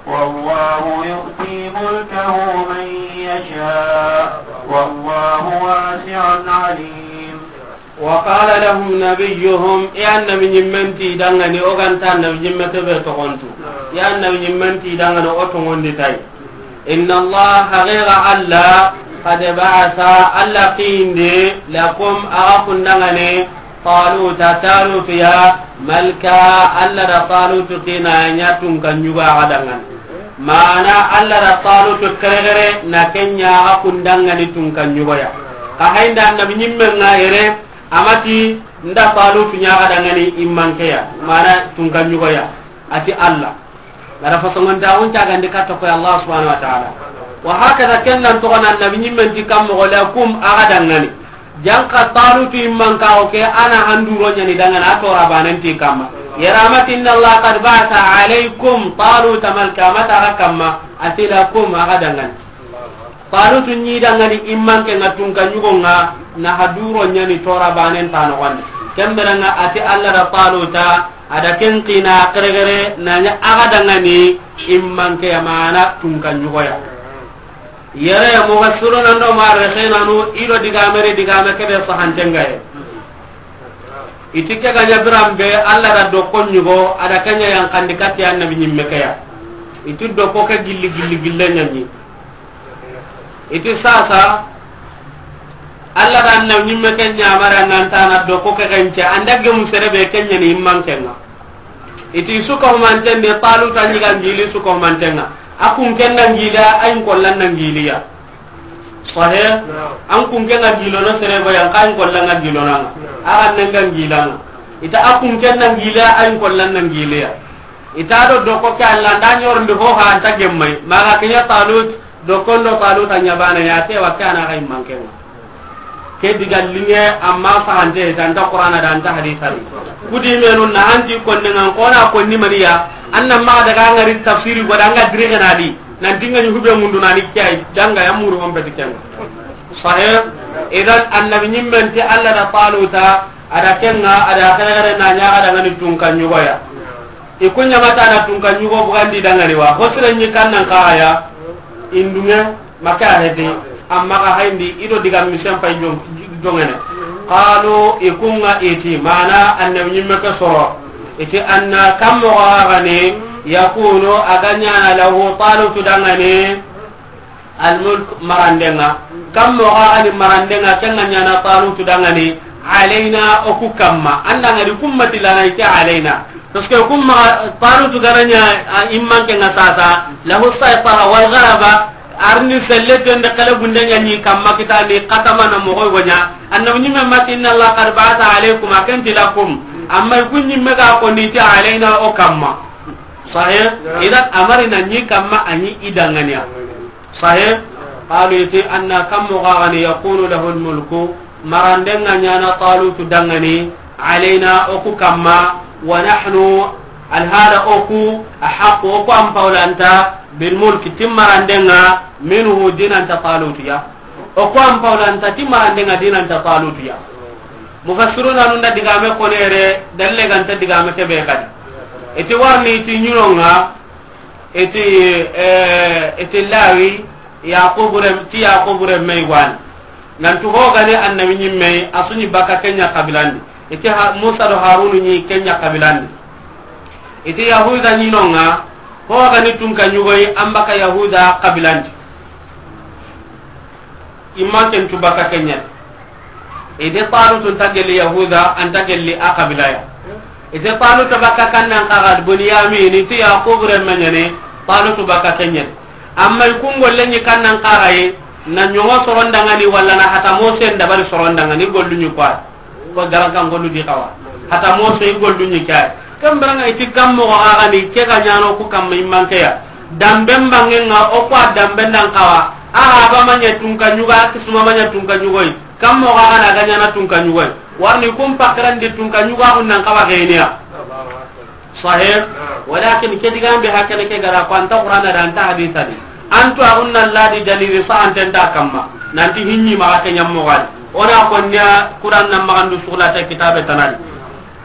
والله يؤتي ملكه من يشاء. والله واسع عليم. وقال لهم نبيهم، يا النبي نمنتي دعاني، أو كان النبي نمتي بتقنتو. يا النبي نمنتي دعاني، أو تقنتي تاي. إن الله، حقيقة الله، قد بعث، الله قيند، لكم، أغاكم دعاني، طالوت، طالوت يا ملكا، الله دا طالوت قينا يا تونكا نيوغا غدعاني. Mana Allah da Talutu keregere na kenya a kundangani tunka ɲugoya. Ka haynda annabi ɲimme ŋa yere, amati nda Talutu ɲaga dangani immankeya, mana tunka ɲugoya. Ati Allah. Gara fasongonta on cagandi katta koy Allah subhanahu wa ta'ala. Wa hakada kendan toxona annabi ɲimmen ti kammoxo lakum aga dangani. Janka Talutu imman ka o ke ana handuro ɲani dangana a tora banen ti kamma. Yaramati inna Allah qad ba'atha alaykum Taluta malka, mata aga kamma, ati lakum aga dangani. Talutu ɲi dangani imman ke nga tunka ɲugo nga na haduro ɲani tora banen ta noxondi. Kembere nga ati Allah da Taluta ada ken qina keregere na ɲa aga dangani imman ke yamana tunka ɲugoya. Yere mufassiruna ndo muarrikhina nu ido digame re digame kebe sahantengaye. I ti ke ga ɲa biran be, Alla da dokko ɲugo, a da ke ɲa yankandi kati annabi ɲimme ke ya. I ti dokko ke gilli gilli gille ɲa ɲi. I ti sasa, Alla da annabi ɲimme ke ɲamari, an ga nta na dokko ke gence, an da gemu sere be ke ɲa ni immanke ŋa. I ti su ka humanten ni Taluta ɲi ga ngili su ka humanten ŋa. A kun ken na ngili ya, a yin kollan na ngili ya. Sahe? Naam. An kun ken ga gilono sere ba yan, ka yin kollan ga gilono ŋa. Naam. A ga nen ga ngila ŋa. I ta a kun ken na ngili ya, a yin kollan na ngili ya. I ta do dokko ke Alla nda ɲorndi ho ha an ta gemmai. Ma ga ke ɲa Talut, dokko ndo Taluta ɲa bana ya, ke wa ke a na ga immanke ŋa. Ke diga linge, amma sahante, ta nta Qur'ana da, nta hadisa di. Kudi menu na hanti konne ŋa, ko na konni maniya, an na ma daga ngari tafsiri go da, an ga dirige na di, nan tinga ni hube mundu na ni kiyai, danga ya muru on beti ken. Sahe? Idan annabi ɲimmen ti Alla da Taluta, a da ken ŋa, a da kare kare na ɲa ga da ngani tunka ɲugo ya. I ku ɲamata na tunka ɲugo bugandi dangani wa. Ho sire ɲi kannan kaxa ya. Indunge, make a heti. Amma xa hayndi, i do diga misen pay jong-, jongene. Qalu, i ku ŋa i ti, mana annabi ɲimme ke soro. I ti anna kam moxo xa gani, yakunu, a ga ɲana lahu Talutu dangani. Almulk, marandenga. Kam moxo xa ni marandenga, ken ga ɲana Talutu dangani, alayna, o ku kamma. An da ngari kummati lana i ke alayna. Parce que kumma Talutu ga na ɲa, a, immanke ŋa sasa, lahu saytara wal ghalaba, arni selle tende kala gunde ɲa ni kamma kita ni katama na moxo go ɲa. Annabi ɲimme ma ti inna Allah qad ba'atha alaykum, a ken ti lakum. Amma i ku ɲimme ga ko ni ti alayna o kamma. Sahih? Idan amari na ni kamma a ni i danganiya. Sahih? Qalu, i ti anna kam moxo xa gani yakunu lahu almulku, marandenga ɲana Talutu dangani, alayna, o ku kamma, wa nahnu, alhala o ku, ahaqqu, o ku an pawlanta, bilmulki, ti marandenga, minhu, dinanta Talutu ya. O ku an pawlanta, ti marandenga, dinanta Talutu ya. Mufassiruna nun da digame konere, dalle ganta digame kebe kadi. I ti warni ti ɲinonga, I ti, eh, i ti Lawi, Yaqubu rem-, ti Yaqubu remme i gwani. Nantu ho gani annabi ɲimme, a su ɲi baka ke ɲa kabilandi. I ti ha-, Musa do Harunu ɲi ke ɲa kabilandi. I ti Yahuda ɲinonga, ho gani tunka ɲugoyi, an baka Yahuda kabilandi. Imman ken tu baka ke ɲa. I de Talutu nta gelli Yahuda, a nta gelli a kabila ya. I de Taluta baka kannan kaxa Bunyamin, i ti Yaqubu remme ɲa ni, Talutu baka ke ɲa. Amma i ku ŋolle ɲi kannan kaxa yi, na ɲoŋo sorondangani walla na hata Mose ndabari sorondangani gollu ɲi kwa. Ko garankan gollu di xawa. Hata Mose i gollu ɲi kay. Ken birenga i ti kam moxo xa gani ke ga ɲano ku kamma immanke ya. Damben bangenga o ku a damben dan xawa. A haba ma ɲa tunka ɲugo, a kisuma ma ɲa tunka ɲugoyi. Kam moxo xa gana ga ɲana tunka ɲugoyi. Warni kun pakkarandi tunka ɲugo a kun nan xawa geniya. Sahih. Walakin ke digan be hakene ke gara ko anta Qur'ana da anta hadisa di. Antu a kunna ladi dalili sahanten ta kamma. Nanti hinni maxa ke ɲammo gadi. Ona konniya Qur'an nan maxandu suxlata kitabe tanadi.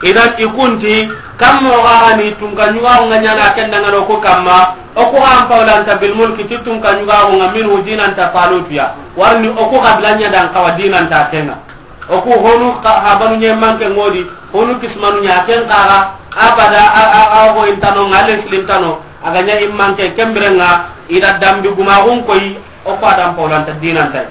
Idan i kunti, kam moxo xa ni tunka ɲugo a kun ga ɲana ken dangano ku kamma, o ku an pawlanta bilmulki ti tunka ɲugo a kun ga minhu dinanta Talutu ya. Warni o ku kabila ɲa dan xawa dinanta kenga. O ku honu ka-, habanu ɲe manke ŋodi, honu kismanu ɲa ken kaxa, abada, a, a, a, ho intano, ngale silintano, a ga ɲa immanke ken birenga, i da dambi gumaxun koyi, o ku a dan pawlanta dinanta.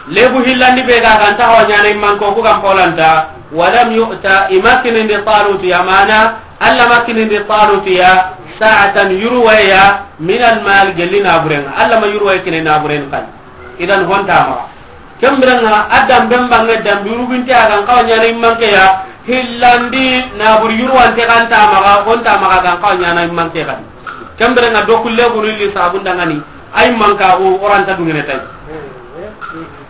Lebu hillandi be ga ganta ho ɲana immanke o ku gan pawlanta, walam yu'ta, i ma kinindi Talutu ya mana, Alla ma kinindi Talutu ya, sa'atan yurwaya, min almal gelli naburenga, Alla ma yurwaya kini naburen kan. Idan honta maxa. Ken birenga a damben bange dambi uruginte a gan xawa ɲana immanke ya, hillandi nabur yurwante ganta maxa, honta maxa gan xawa ɲana immanke gadi. Ken birenga do kulle gunu li sabun dangani, ay manka o oranta dungene tay.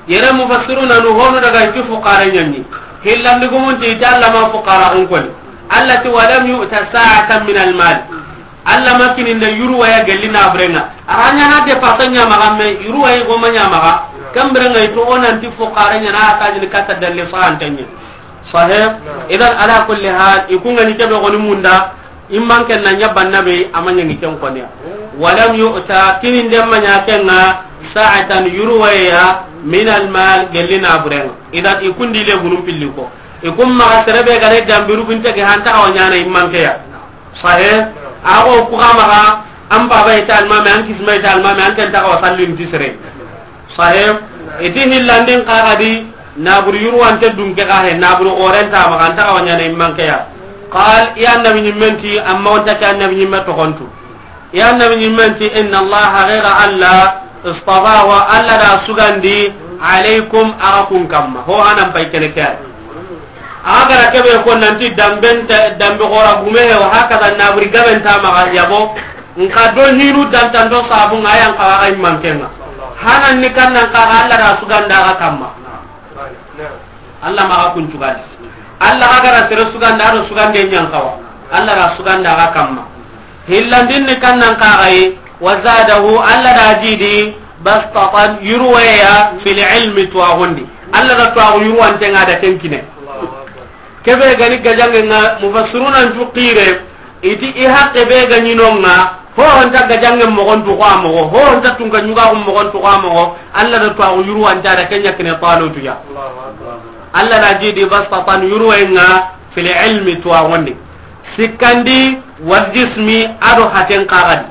Yere mufassiruna nu honu daga i ti fuqara ɲanni. Hillandi gumunti i ti Alla ma fuqara un koni. Alla ti walam yu'ta sa'atan min almal. Alla ma kininde yurwaya gelli naburenga. A ra ɲana depasa ɲa maxa, me yurwaya goma ɲa maxa. Ken birenga i to o nanti fuqara ɲana a tajini kata dalle sahantenye. Sahih. Idan ala kulli hal, i ku ngani kebe goni munda, immanke na ɲa banna be, a ma ɲangi ken koniya. Walam yu'ta, kininde ma ɲa kenga, sa'atan yurwaya, min almal, gelli naburenga. Idan i kundi le gunum pilli ko. I kun maxa sere be ga ni dambi ruginte ke, an ta xawa ɲaana i manke ya. Sahe. A xo ku xa maxa, an baba i ta almame, an kisma i ta almame, an ken ta xawa sallin ti sere. Sahe. I ti hillandin xa ga di, naburu yurwante dunke xa he, naburu xoren ta maxa, an ta xawa ɲaana i manke ya. Qal, i annabi ɲimmen ti, amma o nta ke annabi ɲimme toxontu. Ya annabi ɲimmen ti, inna Allah, haqiqa Allah, istafahu, Allah da sugandi, alaykum, axa kun kamma. Ho hanan pay kene ke ay. Axa ga ra kebe ko nanti damben ta, dambe xora gume he, wa hakaza naburi gaben ta maxa yabo. Nka do hinu dantan do sabu nga yan xa ay mankenga. Hanan ni kannan xa Allah da suganda axa kamma. Allah maxa kun cugandi. Allah xa ga ra sere suganda, a do sugande ɲan xawa. Allah ra suganda axa kamma. Hillandin ni kannan xa ga yi, wa zadahu, Allah da jidi, bastatan, yurweya, fil ilmi, tuwaxundi. Allah da tuwaxu yurwante nga da ken kine. Kebe ga ni gajange nga, mufassiruna ntu xire, i ti i haqqe be ga ɲi no nga, ho honta gajange moxon tu xa moxo, ho honta tunka ɲuga xum moxon tu xa moxo, Allah da tuwaxu yurwante a da ken ɲa kine Talutu ya. Allah da jidi bastatan yurwe nga fil ilmi tuwaxundi. Sikkandi wal jismi a do haten xa ga di.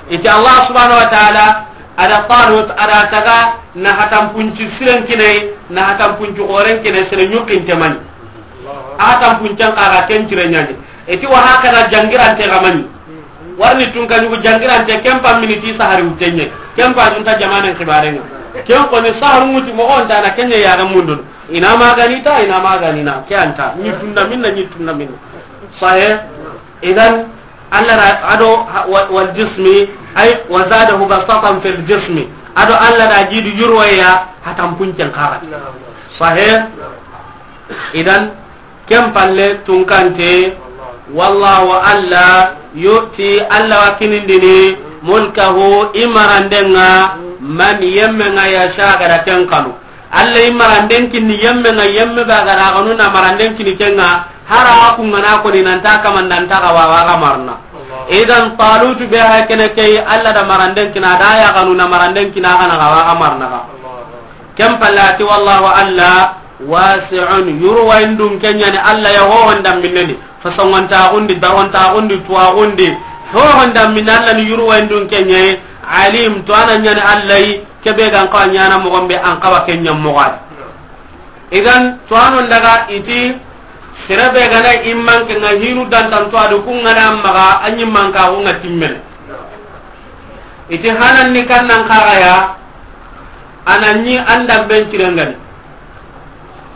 I ti Allah subhanahu wa ta'ala, a da Talut, a da taga na hatanpunci siren kine, na hatanpunci xoren kine, sere ɲukkinte mani. A hatanpuncen xa ga ken cire ɲani. I ti wa hakaza jangirante ga mani. Warni tunka ɲugu jangirante, ken pa miniti sahari wutenye. Ken pa junta jamanen xibarenga. Ken ko ni saharu muti moxo nta na kenye ya ga mundun. Ina magani ta, ina magani na. Ke anta. Ni tunna minna, ni tunna minna. Sahe. Idan, Allah ra, a do, ha, wa-, wal jismi, ay, wa zadahu bastatan fil jismi. A do Allah da jidu yurwaya, hatanpuncen xa ga di. Sahe. Idan, ken palle tunkante, wallahu, Allah, yu'ti, Allah wa kinindini, mulkahu, i marandenga, man, yemmenga, yasha, a ga da ken xanu. Allah i maranden kinni yemmenga, yemme be a ga da xanu na maranden kinni kenga, hara ku ngana ko ni nanta kamanda nta ga wa ga marna. Idan Talutu be ha kene ke, Allah da maranden kinna, da ya xanu na maranden kinna, a ga na ga wa ga marna ga. Ken palle a ti, wallahu, Allah, wasi'un, yurwayindun ke ɲani Allah ya, ho honda minne ni, fasongontaxundi, darontaxundi, tuwaxundi, ho honda minne Allah ni yurwayindun ke ɲayi, alim, to a na ɲani Allah yi, kebe ga n xawa ɲana moxon be, an xawa ke ɲa moxo a di. Idan, to a non daga i ti, sere be ga na i manke nga hinu dantan to a do ku ngana maxa, a ɲi manka ku nga timmene. I ti hanan ni kannan xa ga ya, a na ɲi an damben cirengani.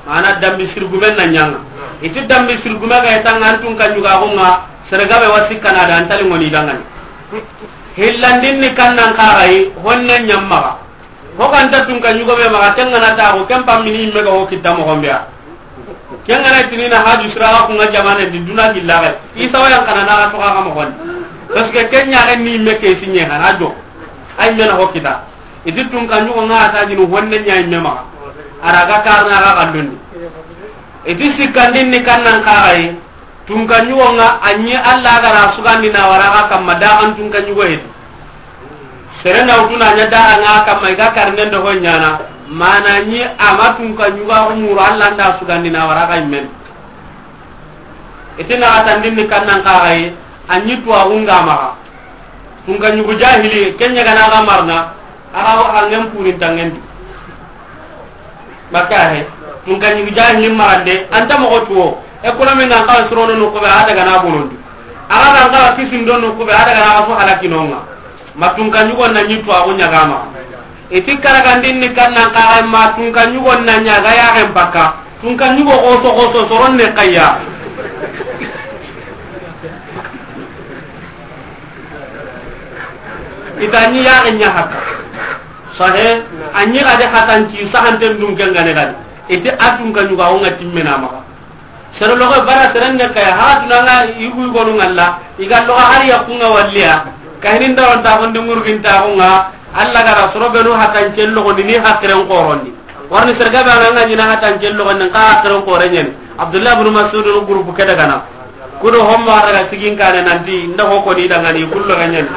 Mana dambi sirgumen na ɲanga. I ti dambi sirgume ga i tanga an tunka ɲuga xo nga, sere gabe wa sikkana da an tali ngoni dangani. Hillandin ni kannan xa ga yi, honne ɲammaxa. Ho ganta tunka ɲugo be maxa, ken ngana taxu, ken pammini yimme ga ho kitta moxon be ya. Ken ngana tini na haju siraxa ku nga jamane di duna gilla ga. Isa wa yan kana na ga toxa ga moxon. Parce que ken ɲaxe ni yimme ke sinye xana jo. Ay mena ho kita. I ti tunka ɲugo nga ta jinu honne ɲa yimme maxa. A ra ga karna ga xandundi. I ti sikkandin ni kannan xa ga yi. Tunka ɲugo nga a ɲi Allah ga ra sugandi na wara ga kamma da an tunka ɲugo hedi. Sere na wutu na ɲa da an ga kamma i ga karnen do ho ɲana. Mana ɲi a ma tunka ɲugo a umuru Allah nda sugandi na wara ga immen. I ti na ga tandin ni kannan xa ga yi, a ɲi tuwaxu nga maxa. Tunka ɲugu jahili, ken ɲa ga na ga marna, a ga wa hangen purin tangen di. Baka he, tunka ɲugu jahili marande, anta moxo tuwo, e kuna me nan xawa surono no kube, a daga na bonondi. A ga nan xawa kisindo no kube, a daga na ga fo halaki no nga. Ma tunka ɲugo na ɲi tuwaxu ɲa ga ma. I ti karagandin ni kannan xa ga ma tunka ɲugo na ɲa ga yaxen pakka. Tunka ɲugo xoso xoso soron ne kayya. I ta ɲi yaxen ɲa hakka. Sahe, a ɲi ga de hatanci sahanten dun ken gane gani. I ti a tunka ɲugo a wo nga timmena maxa. Sere loxo bara seren ne kay, ha tuna nga yugu yugonu ngalla, i ga loxo har yakku nga walliya. Kahini ndaron ta gonde ngurgin ta ko nga, Allah ga ra soro benu hatan cello ni hakiren xorondi. Warni serga ba nga ɲina hatan cello ni ka hakiren xoren ɲani. Abdullah ibn Mas'ud no groupe ke daga na. Kudo homma daga sigin kane nanti nda ho ko ni dangani kullo ga ɲani.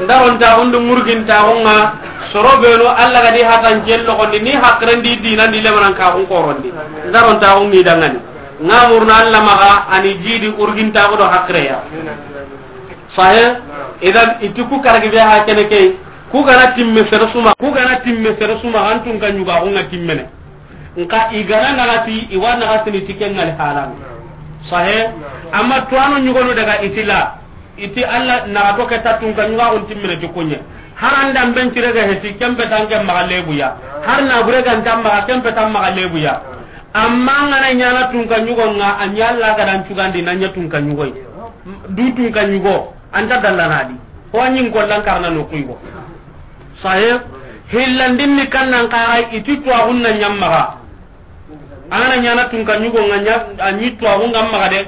Ndaron ta gonde ngurgin ta ko nga, soro benu Allah ga di hatan cello ni hakiren di dinan di lemanan ka ko xorondi. Ndaron ta ko ni dangani. Nga murna Alla maxa, a ni jidi urgintaxu do haqireya. Sahe. Idan i ti ku karagi be ha kene ke, ku gana timme sere su maxa, ku gana timme sere su maxa, an tunka ɲugaxu nga timmene. Nka i gana naxati, i wa naxatini ti ke ŋali halan. Sahe. Amma tuwano ɲugonu daga i ti la. I ti Alla naxato ke ta tunka ɲugaxun timmene ti kuɲe. Har an danben cire ga heti, ken petan ke maxa lebuya. Har na bure ga nta maxa, ken petan maxa lebuya. Amma an gana ɲana tunka ɲugo nga, a ɲa Alla ga dan cugandi na ɲa tunka ɲugoy. Du tunka ɲugo, an ta dallana di. Ho ɲin kollan karna no kuy go. Sahe. Hillandin ni kannan kaxay, i ti tuwaxun na ɲa maxa. An gana ɲana tunka ɲugo nga ɲa, a ɲi tuwaxu nga maxa de.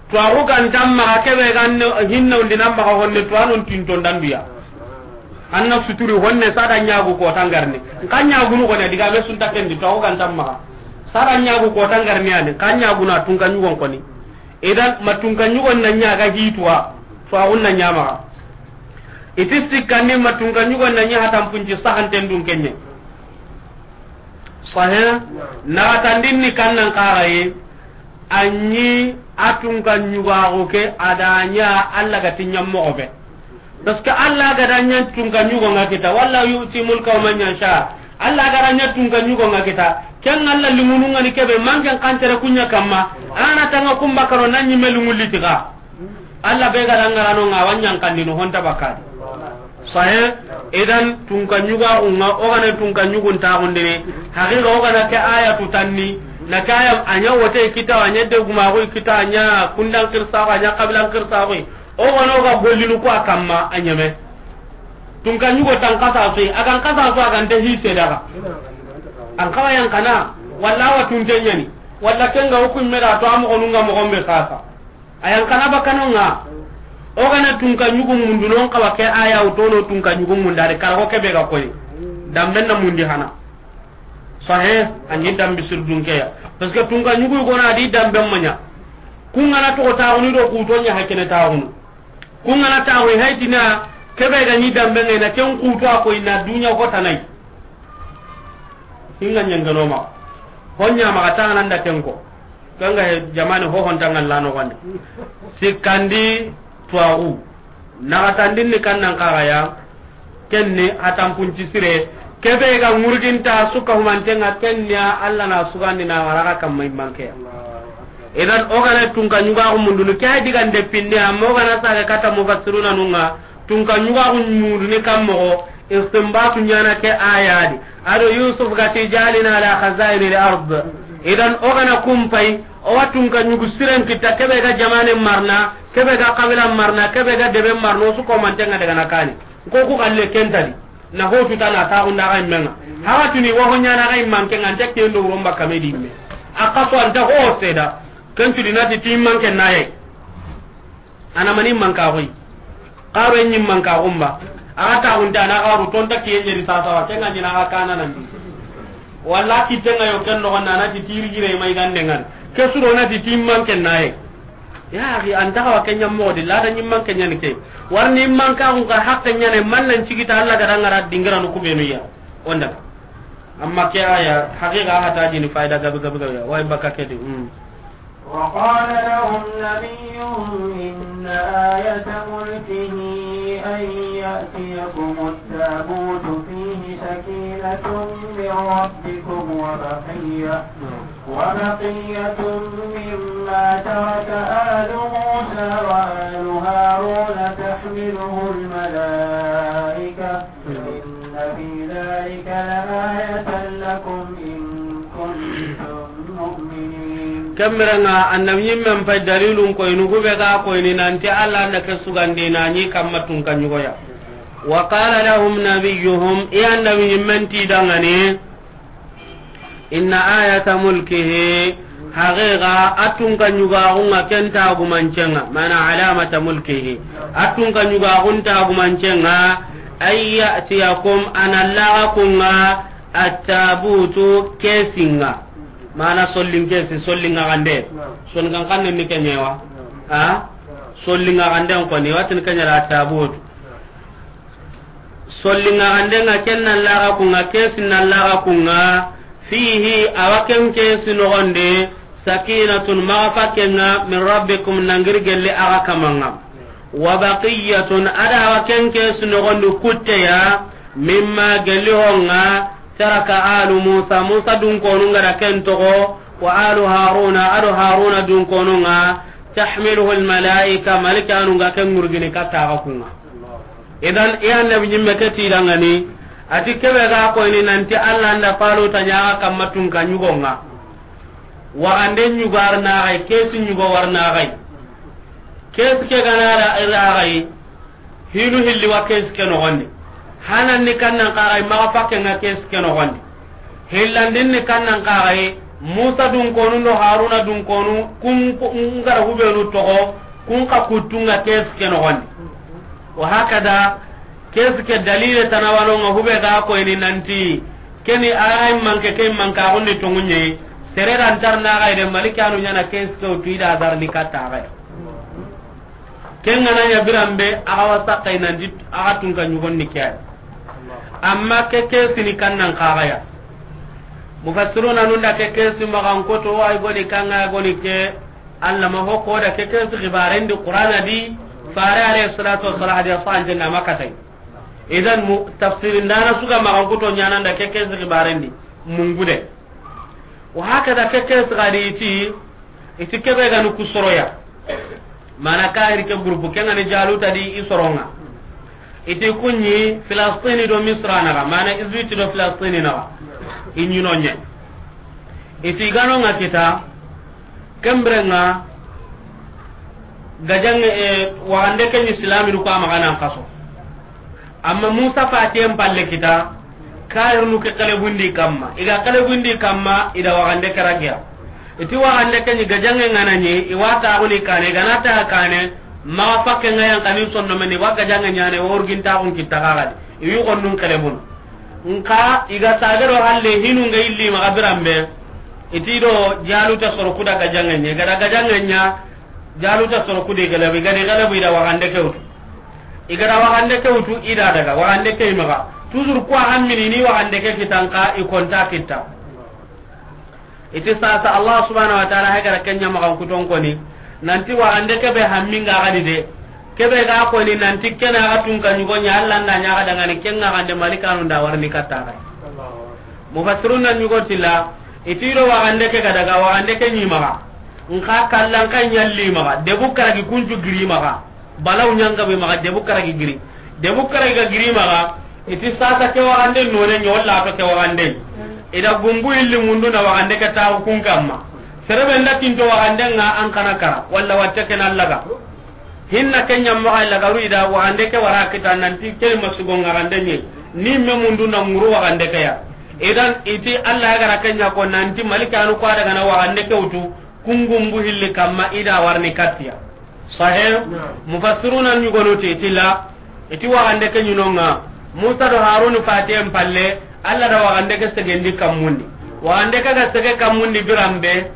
Tuwaxu ga nta maxa, kebe ga ne, hinna undi na maxa honne, tuwanon tinton danduya. An na suturi honne, sada ɲagu ko tangarni. Nka ɲagunu kone, diga be sunta kendi, tuwaxu ga nta maxa. Sada ɲagu ko tangarni ani, nka ɲaguna tunka ɲugon koni. Idan, ma tunka ɲugon na ɲa ga hituwa, tuwaxun na ɲa maxa. I ti sikkandi ma tunka ɲugon na ɲa hatan punci sahanten dun kenye. Sahe. Naxatandin ni kannan kaxaye, a ɲi a tunka ɲugaxu ke, a da ɲa Alla ga ti ɲa moxo be. Parce que Alla ga da ɲa tunka ɲugo nga kita, walla yu'ti mulkahu man yasha. Alla ga da ɲa tunka ɲugo nga kita, ken Alla limunu nga ni kebe, manken kantere kuɲa kamma, a na tanga kumba karo na ɲi me lungu litiga. Alla be ga da ŋarano nga wa ɲankandini honta bakadi. Sahe. Idan tunka ɲugaxu nga, o gana tunka ɲugun taxundini. Haqiqa o gana ke aya tutanni, na ke aya a ɲa wote kita, a ɲa degumaxu kita, a ɲa kundan kirsaxu, a ɲa kabilan kirsaxu. O gana o ga gollinu ku a kamma a ɲeme. Tunka ɲugo tan kasa soyi, a gan kasa so a gan te hise daga. An kawa yan kana, walla wa tunte ɲani, walla kenga hukum meda to a moxonunga moxon be sasa. A yan kana bakano nga. O gana tunka ɲugu mundu non kawa ke aya utono tunka ɲugu mundare karago kebe ga koyi. Damben na mundi hana. Sahe, a ɲi dambi sirdun ke ya. Parce que tunka ɲugu gona di damben maɲa. Kungana to taxunu do kuto ɲa hakene taxunu. Kungana taxu haytina kebe ga ɲi damben ngai na ken kuto a koyi na dunya ko tanai. Hinga ɲangano ma. Honya ma ta nan da ken ko. Kanga he jamane ho honta ngalla no wande. Sikkandi tuwaxu. Naxatandin ni kannan kaxaya. Kenni hatampunci sire. Kebe ga ŋurginta suka humantenga kenniya Alla na sugandi na waraga kamma immankeya. Idan o gana tunka ɲugaxu mundunu ke hay digande pinne, amma o gana sage kata mufassiruna nunga. Tunka ɲugaxu munduni kammoxo. Istinbatu ɲana ke ayadi. Ado Yusuf gati jalina ala khazaini al ard. Idan o gana kumpay, o wa tunka ɲugu siren kita kebe ga jamane marna, kebe ga kabila marna, kebe ga debe marna, o su komantenga daga na kani. Ko ku galle kentadi. Na hotu tana taxunda ga immenga. Haga tuni wa ho ɲana ga immanke nga nte kendo uron bakka me di imme. A kaso anta ho seda. Kentudi nati ti immanke naye. Ana mani manka xoy. Xaro en ɲi manka xumba. Aga taxunta na xaru tonta kiye ɲeri sasawa kenga ɲina aga kana nandi. Walla kitenga yo ken noxon na nati tiri gire mai gande ngan. Ke suro nati timman ken naye. Ya axi, an taxawa ke ɲammoxo di lada ɲimman ke ɲani ke. Warni manka xun ka hakke ɲane man nan cigita Alla ga dangara dingira no kubenu ya. Onda. Amma ke aya haqiqa hata jini faida gabe gabe gabe ya. Way baka ke di. Mm. وقال لهم نبيهم إن آية ملكه أن يأتيكم التابوت فيه سكينة من ربكم وبقية، وبقية مما ترك آل موسى وآل هارون تحمله الملائكة، إن في ذلك لآية لكم إن كنتم مؤمنين. Kemmirenga annabi ɲimmen pay dalilun koyni hube ga koyni nanti Alla nda ke sugandi na ɲi kamma tunka ɲugoya. وقال لهم نبيهم, i annabi ɲimmen ti dangani, إن آية ملكه, haqiqa a tunka ɲugaxunga ken tagumancenga, mana علامة ملكه, a tunka ɲugaxun tagumancenga, أن يأتيكم, a na laga kunga, التابوت, kesinga, mana sollin kesi, sollinga gande, son kan kan ni kenyewa, ha, sollinga gande ko ni watin kenyara التابوت. Sollinga gandenga ken na laga kunga, kesin na laga kunga, fihi, awa ken kesi nogonde, Sakinatun, maxa fakke ŋa, min rabbikum, nangiri gelli axa kamanŋa. Wa baqiyatun, ada wa ken kesu noxondi kutte ya, mimma, gelli ho ŋa, taraka alu Musa, Musa dunkonu ŋa da ken toxo, wa alu Haruna, ado Haruna dunkonu ŋa, tahmiluhu almalaika, malikanu ga ken ŋurgini katta axa kunŋa. Idan, i annabi ɲimme ke ti dangani, ati kebe ga koyni nanti Allah nda Taluta ɲa axa kamma tunka ɲugo ŋa. Waxande ɲugo arna xay, kesi ɲugo warna xay. Kesi ke gana ra, ra xay, hinu hilli wa kesi ke noxondi. Hanan ni kannan xa xay, maxa fakke ŋa kesi ke noxondi. Hillandin ni kannan xa xay, Musa dunkonu do Haruna dunkonu, kun, kun gara hubenu toxo, kun xa kuttu ŋa kesi ke noxondi. Wa hakada, kesi ke dalile tana wano ŋa hube ga koyni nanti, keni aray manke ke manka gunni tongunye, sere dan tarna ga ide malikanu ɲana kesi ke utu ida zarni katta ga. Ken ŋa na ɲa biranbe, axa wa sakkay nanti, axa tunka ɲugonni ke ay. Amma ke kesini kannan xa xaya. Mufassiruna nunda ke kesi maxan koto, ay goni kanga, goni ke, Allah ma ho ko da ke kesi xibarendi Qur'ana di, fare alayhi salatu wassalam hadiya sante na makatay. Idan mu tafsirin dana suga maxan koto ɲananda ke kesi xibarendi, mungude. Wa hakada ke kesi gadi iti, iti kebe gani ku soroya. Mana kahiri ke groupe ke ngani Jaluta di i soronŋa. Iti kunɲi Filastini do Misra naxa, mana Egypte do Filastini naxa. I ɲino ɲe. Iti gano ŋa kita, kembere ŋa, gajange, e, waxande ke ɲi silaminu ko a maxa nan kaso. Amma Musa fatiyen palle kita, kayirnu ke kelebundi kamma. I ga kelebundi kamma, i da waxande ke ragiya. Iti waxande ke ɲi gajange ŋa na ɲi, i wa taxuni kane, i ga na taxa kane, maxa fakke ŋa yan kani sonno meni, wa gajange ɲane, wa urgin taxun kitta xaxadi. I wi xonnun kelebun. Nka, i ga sagero halle hinu nga illi maxa biranbe. Iti do Jaluta soro kuda gajange ɲa, i ga da gajange ɲa, Jaluta soro kudi gelebu, i ga di gelebu i da waxande ke wutu. I ga da waxande ke wutu, i da daga, waxande ke i maxa. Toujours kuwa hammini ni waxande ke kitan ka, i konta kitta. Iti sasa Allah subhanahu wa ta'ala hay gara kenya maxa kuton koni. Nanti waxande ke be hamminga gadi de. Ke be ga koni nanti kena ga tunka ɲugo ɲa Allah nda ɲa ga dangani kenga gande malikanu nda warni katta ga. Mufassirun na ɲugo tilla, iti do waxande ke ga daga, waxande ke ɲi maxa. Nka kallan kan ɲalli maxa, debu karagi kuncu giri maxa. Balaw ɲanga be maxa, debu karagi giri. Debu karagi ga giri maxa, iti sasa ke waxande none ɲolla to ke waxande. I da gumbu illi mundu na waxande ke taxu kun kamma. Serebe nda tinto waxande nga an kana kara, walla watte ke na laga. Hinna ke ɲamma xa lagaru i da waxande ke wara kita nanti ke masugo nga gande ɲe. Ni me mundu na nguru waxande ke ya. Idan iti Allah ya gara kenya ko nanti malikanu ko daga na waxande ke wutu. Kungumbu hilli kamma i da warni kattiya. Sahih? Naam. Mufassiruna ɲugonu ti tilla, iti waxande ke ɲinonga, Musa do Harun fatiyen palle, Allah da waxande ke segendi kammundi. Waxande ke ga sege kammundi biranbe,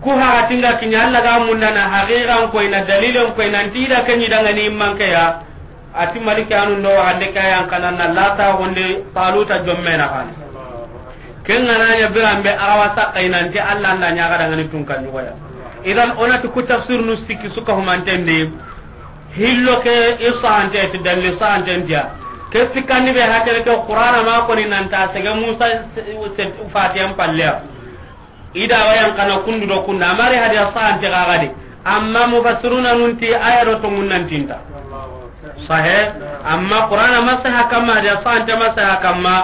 ku haxatinga kiɲa Allah ga mundana haqiqan koyna, dalilen koyna, nti i da ke ɲi dangani manke ya, Ati maliki anu ndo waxande ke yan kana na lata gonde Taluta jomme na xani. Ken ga na ɲa biranbe a ga wa saxay nanti Allah nda ɲa ga dangani tunka ɲugoya. Idan onati ku tafsir nu sikki suka humantendi. Hillo ke i sante ti dalli sante ndiya. Ke sikkandi be hakere ke Qur'ana ma koni nanta sege Musa se, se, fatiyan palleya. I da wa yan kana kundu do kunda. Amari hadiya sante gagadi. Amma mufassiruna nunti aya do tongun nan tinta. Sahe. Amma Qur'ana masaha kamma, hadiya sante masaha kamma.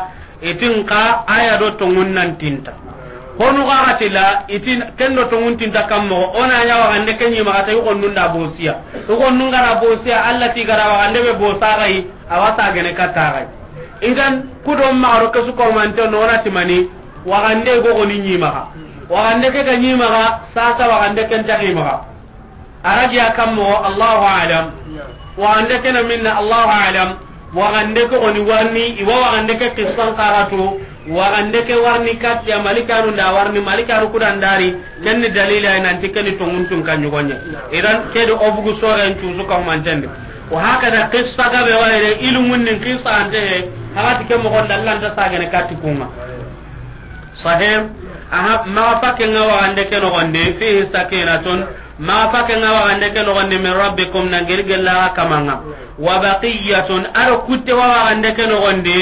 Itin ka aya do tongun nan tinta. Honu gagati la, itin kendo tongun tinta kammo. Ona ɲa waxande ke ɲi maxa ta yugo nunda bosiya. Yugo nunga na bosiya, Allah ti gara waxande be bosa gai, a wa sa gene katta gai. Idan kudo maxaro ke su komante nona timani. Waxande go goni ɲi maxa. Waxande ke ga ɲi maxa, sasa waxande ken taxi maxa. Arajiya kammo, Allahu a'lam. Waxande ke na minna, Allahu a'lam. Waxande ke goni warni, i wa waxande ke qissan karatu. Waxande ke warni kattiya malikanu nda warni, malikanu kudan dari. Kenni dalila nanti kenni tongun tunka ɲugoɲe. Idan kedi obugu soren cusu ka humantendi. Wa hakada qissa gabe wayre, ilmunnin qissa ante he. Hagati ke moxon dallanta sagene katti kunga. Sahih. Aha, maxa fakke ŋa waxande ke noxondi, fihi sakinatun, maxa fakke ŋa waxande ke noxondi, min rabbikum, na geri gella xa kamanŋa. Wa baqiyatun, a do kutte wa waxande ke noxondi,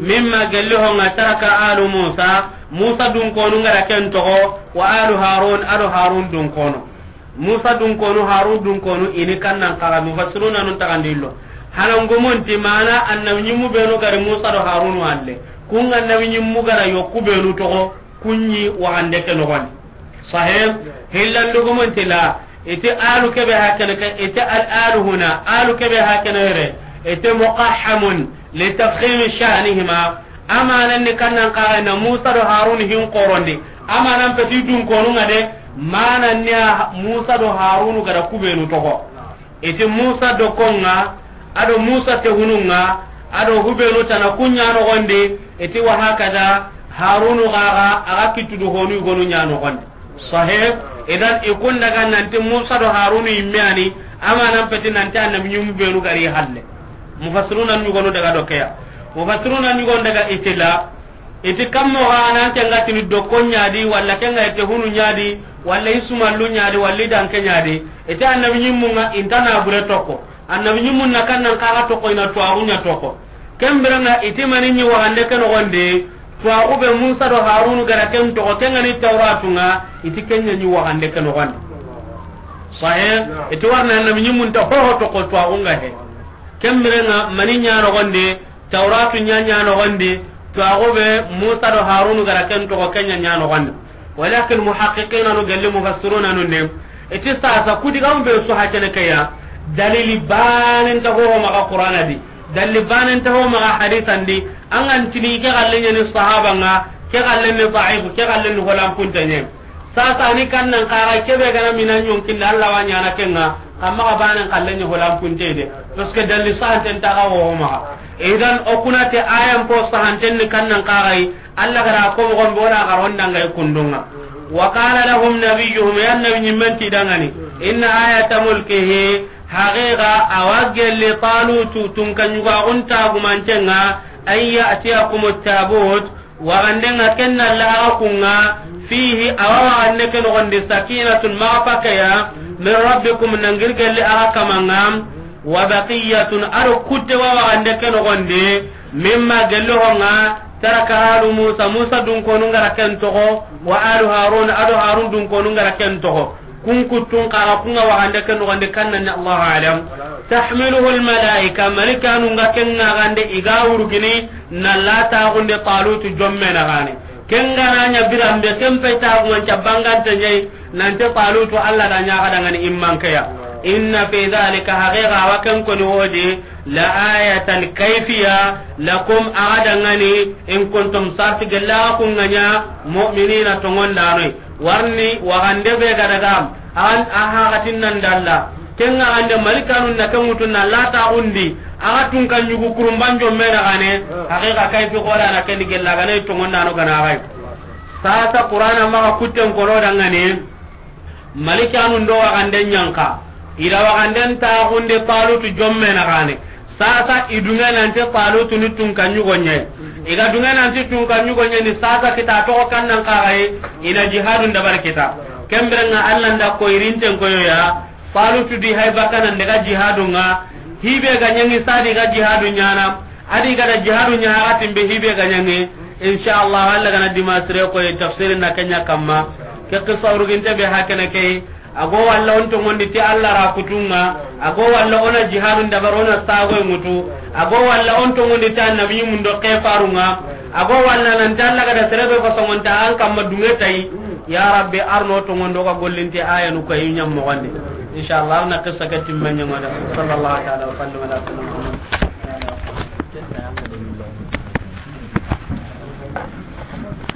mimma, gelli ho ŋa, taraka alu Musa, Musa dunkonu ŋa da ken toxo, wa alu Harun, a do Harun dunkonu. Musa dunkonu, Harun dunkonu, i ni kannan xaxa, mufassiruna nun taxandi illo. Hana ngumunti mana annabi ɲimmu benu ga ri Musa do Harunu halle. Kun annabi ɲimmu ga ra yokku benu toxo, kun ɲi waxande ke noxondi. Sahih, hillan dugumunti la, iti alu kebe hakene ke, iti al alu huna, alu kebe hakene yere, iti muqahhamun li tafkhimi sha'nihima, Amanan ni kannan xaxa na Musa do Harun hin xorondi. Amanan peti dunkonu ŋa de, manan ni a Musa do Harunu ga da ku benu toxo. Iti Musa do konŋa, a do Musa te hununŋa, a do hubenu tana kun ɲa noxondi, iti wa hakada Harunu xaxa, a ga kittu do honu yogonu ɲa noxondi. Sahih. Idan, i kun daga nanti Musa do Harunu yimme ani, amanan peti nanti annabi ɲimmu benu ga ri halle. Mufassiruna ɲugonu daga do keya. Mufassiruna ɲugonu daga itila, iti kammo ga nan tenga tini dokko ɲa di, walla kenga ite hunu ɲa di, walla isumallu ɲa di, walla i danke ɲa di. Iti annabi ɲimmu ŋa inta na bure toxo. Annabi ɲimmun na kannan xaxa toxo, i na tuwaxu ɲa toxo. Ken biren ŋa iti mani ɲi waxande ke noxondi, tuwaxu be Musa do Harunu ga da ken toxo, ken ŋa ni Tawratu ŋa, iti ken ɲa ɲi waxande ke noxondi. Sahih, iti warna annabi ɲimmun ta hoho toxo tuwaxu ŋa he. Ken biren ŋa mani ɲa noxondi, Tawratu ɲa ɲa noxondi, tuwaxu be Musa do Harunu ga da ken toxo, ken ɲa ɲa noxondi. Walakin muhaqqiqina nu gelli mufassiruna nu ne, iti sasa ku digamu be su hakene keya, dalili banen ta ho maxa Qur'ana di, dalili banen ta ho maxa hadisan di, an ga ntini ke xalle ɲa ni sahaba ŋa, ke xalle ni da'if, ke xalle ni holan puntenye. Sasa ni kannan xaxa kebe ga na mina ɲonkinda Allah wa ɲana kenŋa, kamma ga banen xalle ni holan punte de, parce que dalili sahanten ta ga ho maxa. Idan o kuna te ayan po sahanten ni kannan xaxa yi, Allah ga da ko moxon bona ga ronda ŋa i kundunŋa. Wa qala lahum nabiyyuhum, ya annabi ɲimmen ti dangani, inna ayata mulkihi, haqiqa a wa gelli Talutu tunka ɲugaxun tagumantenŋa, an ya'tiyakumu tabut, waxande ŋa ken na laxa kunŋa, fihi, a wa waxande ke noxondi, sakinatun, maxa fakeya, min rabbikum, na geri gelli axa kamanŋa, wa baqiyatun, a do kutte wa waxande ke noxondi, mimma, gelli ho ŋa, taraka alu Musa, Musa dunkonu ga da ken toxo, wa alu Harun, a do Harun dunkonu ga da ken toxo. Kun kuttun xaxa kun ŋa waxande ke noxondi, kannan ni Allahu alam. Tahmiluhu al malaika, malikanu ŋa ken ŋa gande i ga wurugini, na lataxunde Talutu jomme na gane. Ken ga na ɲa biranbe, ken paytaxu ŋa nta bangante ɲa yi, nanti Talutu Allah da ɲa ga dangani immankeya. Inna fi dhalika, haqiqa wa ken koni wodi, la ayatan, kayfiya, lakum, axa dangani, in kuntum, sarti gella kun ŋa ɲa, mu'minina, tongondanoy. Warni waxande be ga daga, an a haxatin nan dalla. Ken ŋa ande malikanu na ken ŋutu na lataxundi, axa tunka ɲugu kurumban jomme na gane, haqiqa kayfi xoda na ken di gella gane tongondano gana xay. Sasa Qur'ana maxa kutten kono dangane, malikanu ndo waxande ɲanka, i da waxanden taxundi Talutu jomme na gane. Sasa i dunŋe nanti Talutu ni tunka ɲugo ɲa yi. I ga dunŋe nanti tunka ɲugo ɲa ni, sasa kita toxo kannan xaxa yi, i na jihadun dabari kita. Ken biren ŋa Allah nda ko irinten koyo ya, Talutu di hay bakana nde ga jihadun ŋa, hibe ga ɲaŋi sadi ga jihadun ɲana, a di ga da jihadun ɲa hakatin be hibe ga ɲaŋi. Insha Allah, Allah gana dima sire koy tafsirin na ken ɲa kamma. Ke qissa uruginte be hakene key, a go walla on tongondi ti Allah ra kutunŋa, a go walla o na jihadun dabari o na sagoy ŋutu, a go walla on tongondi ti annabi mundo ke farunŋa, a go walla nanti Allah ga da sere be ko songonta an kamma dunŋe tayi. Ya Rabbi, arno tongondo ga gollinte ayanu ko yi ɲam moxondi. Insha Allah, na qissa ke timme ɲaŋoda. Sallallahu ta'ala wa sallam ala sayyidina Muhammad.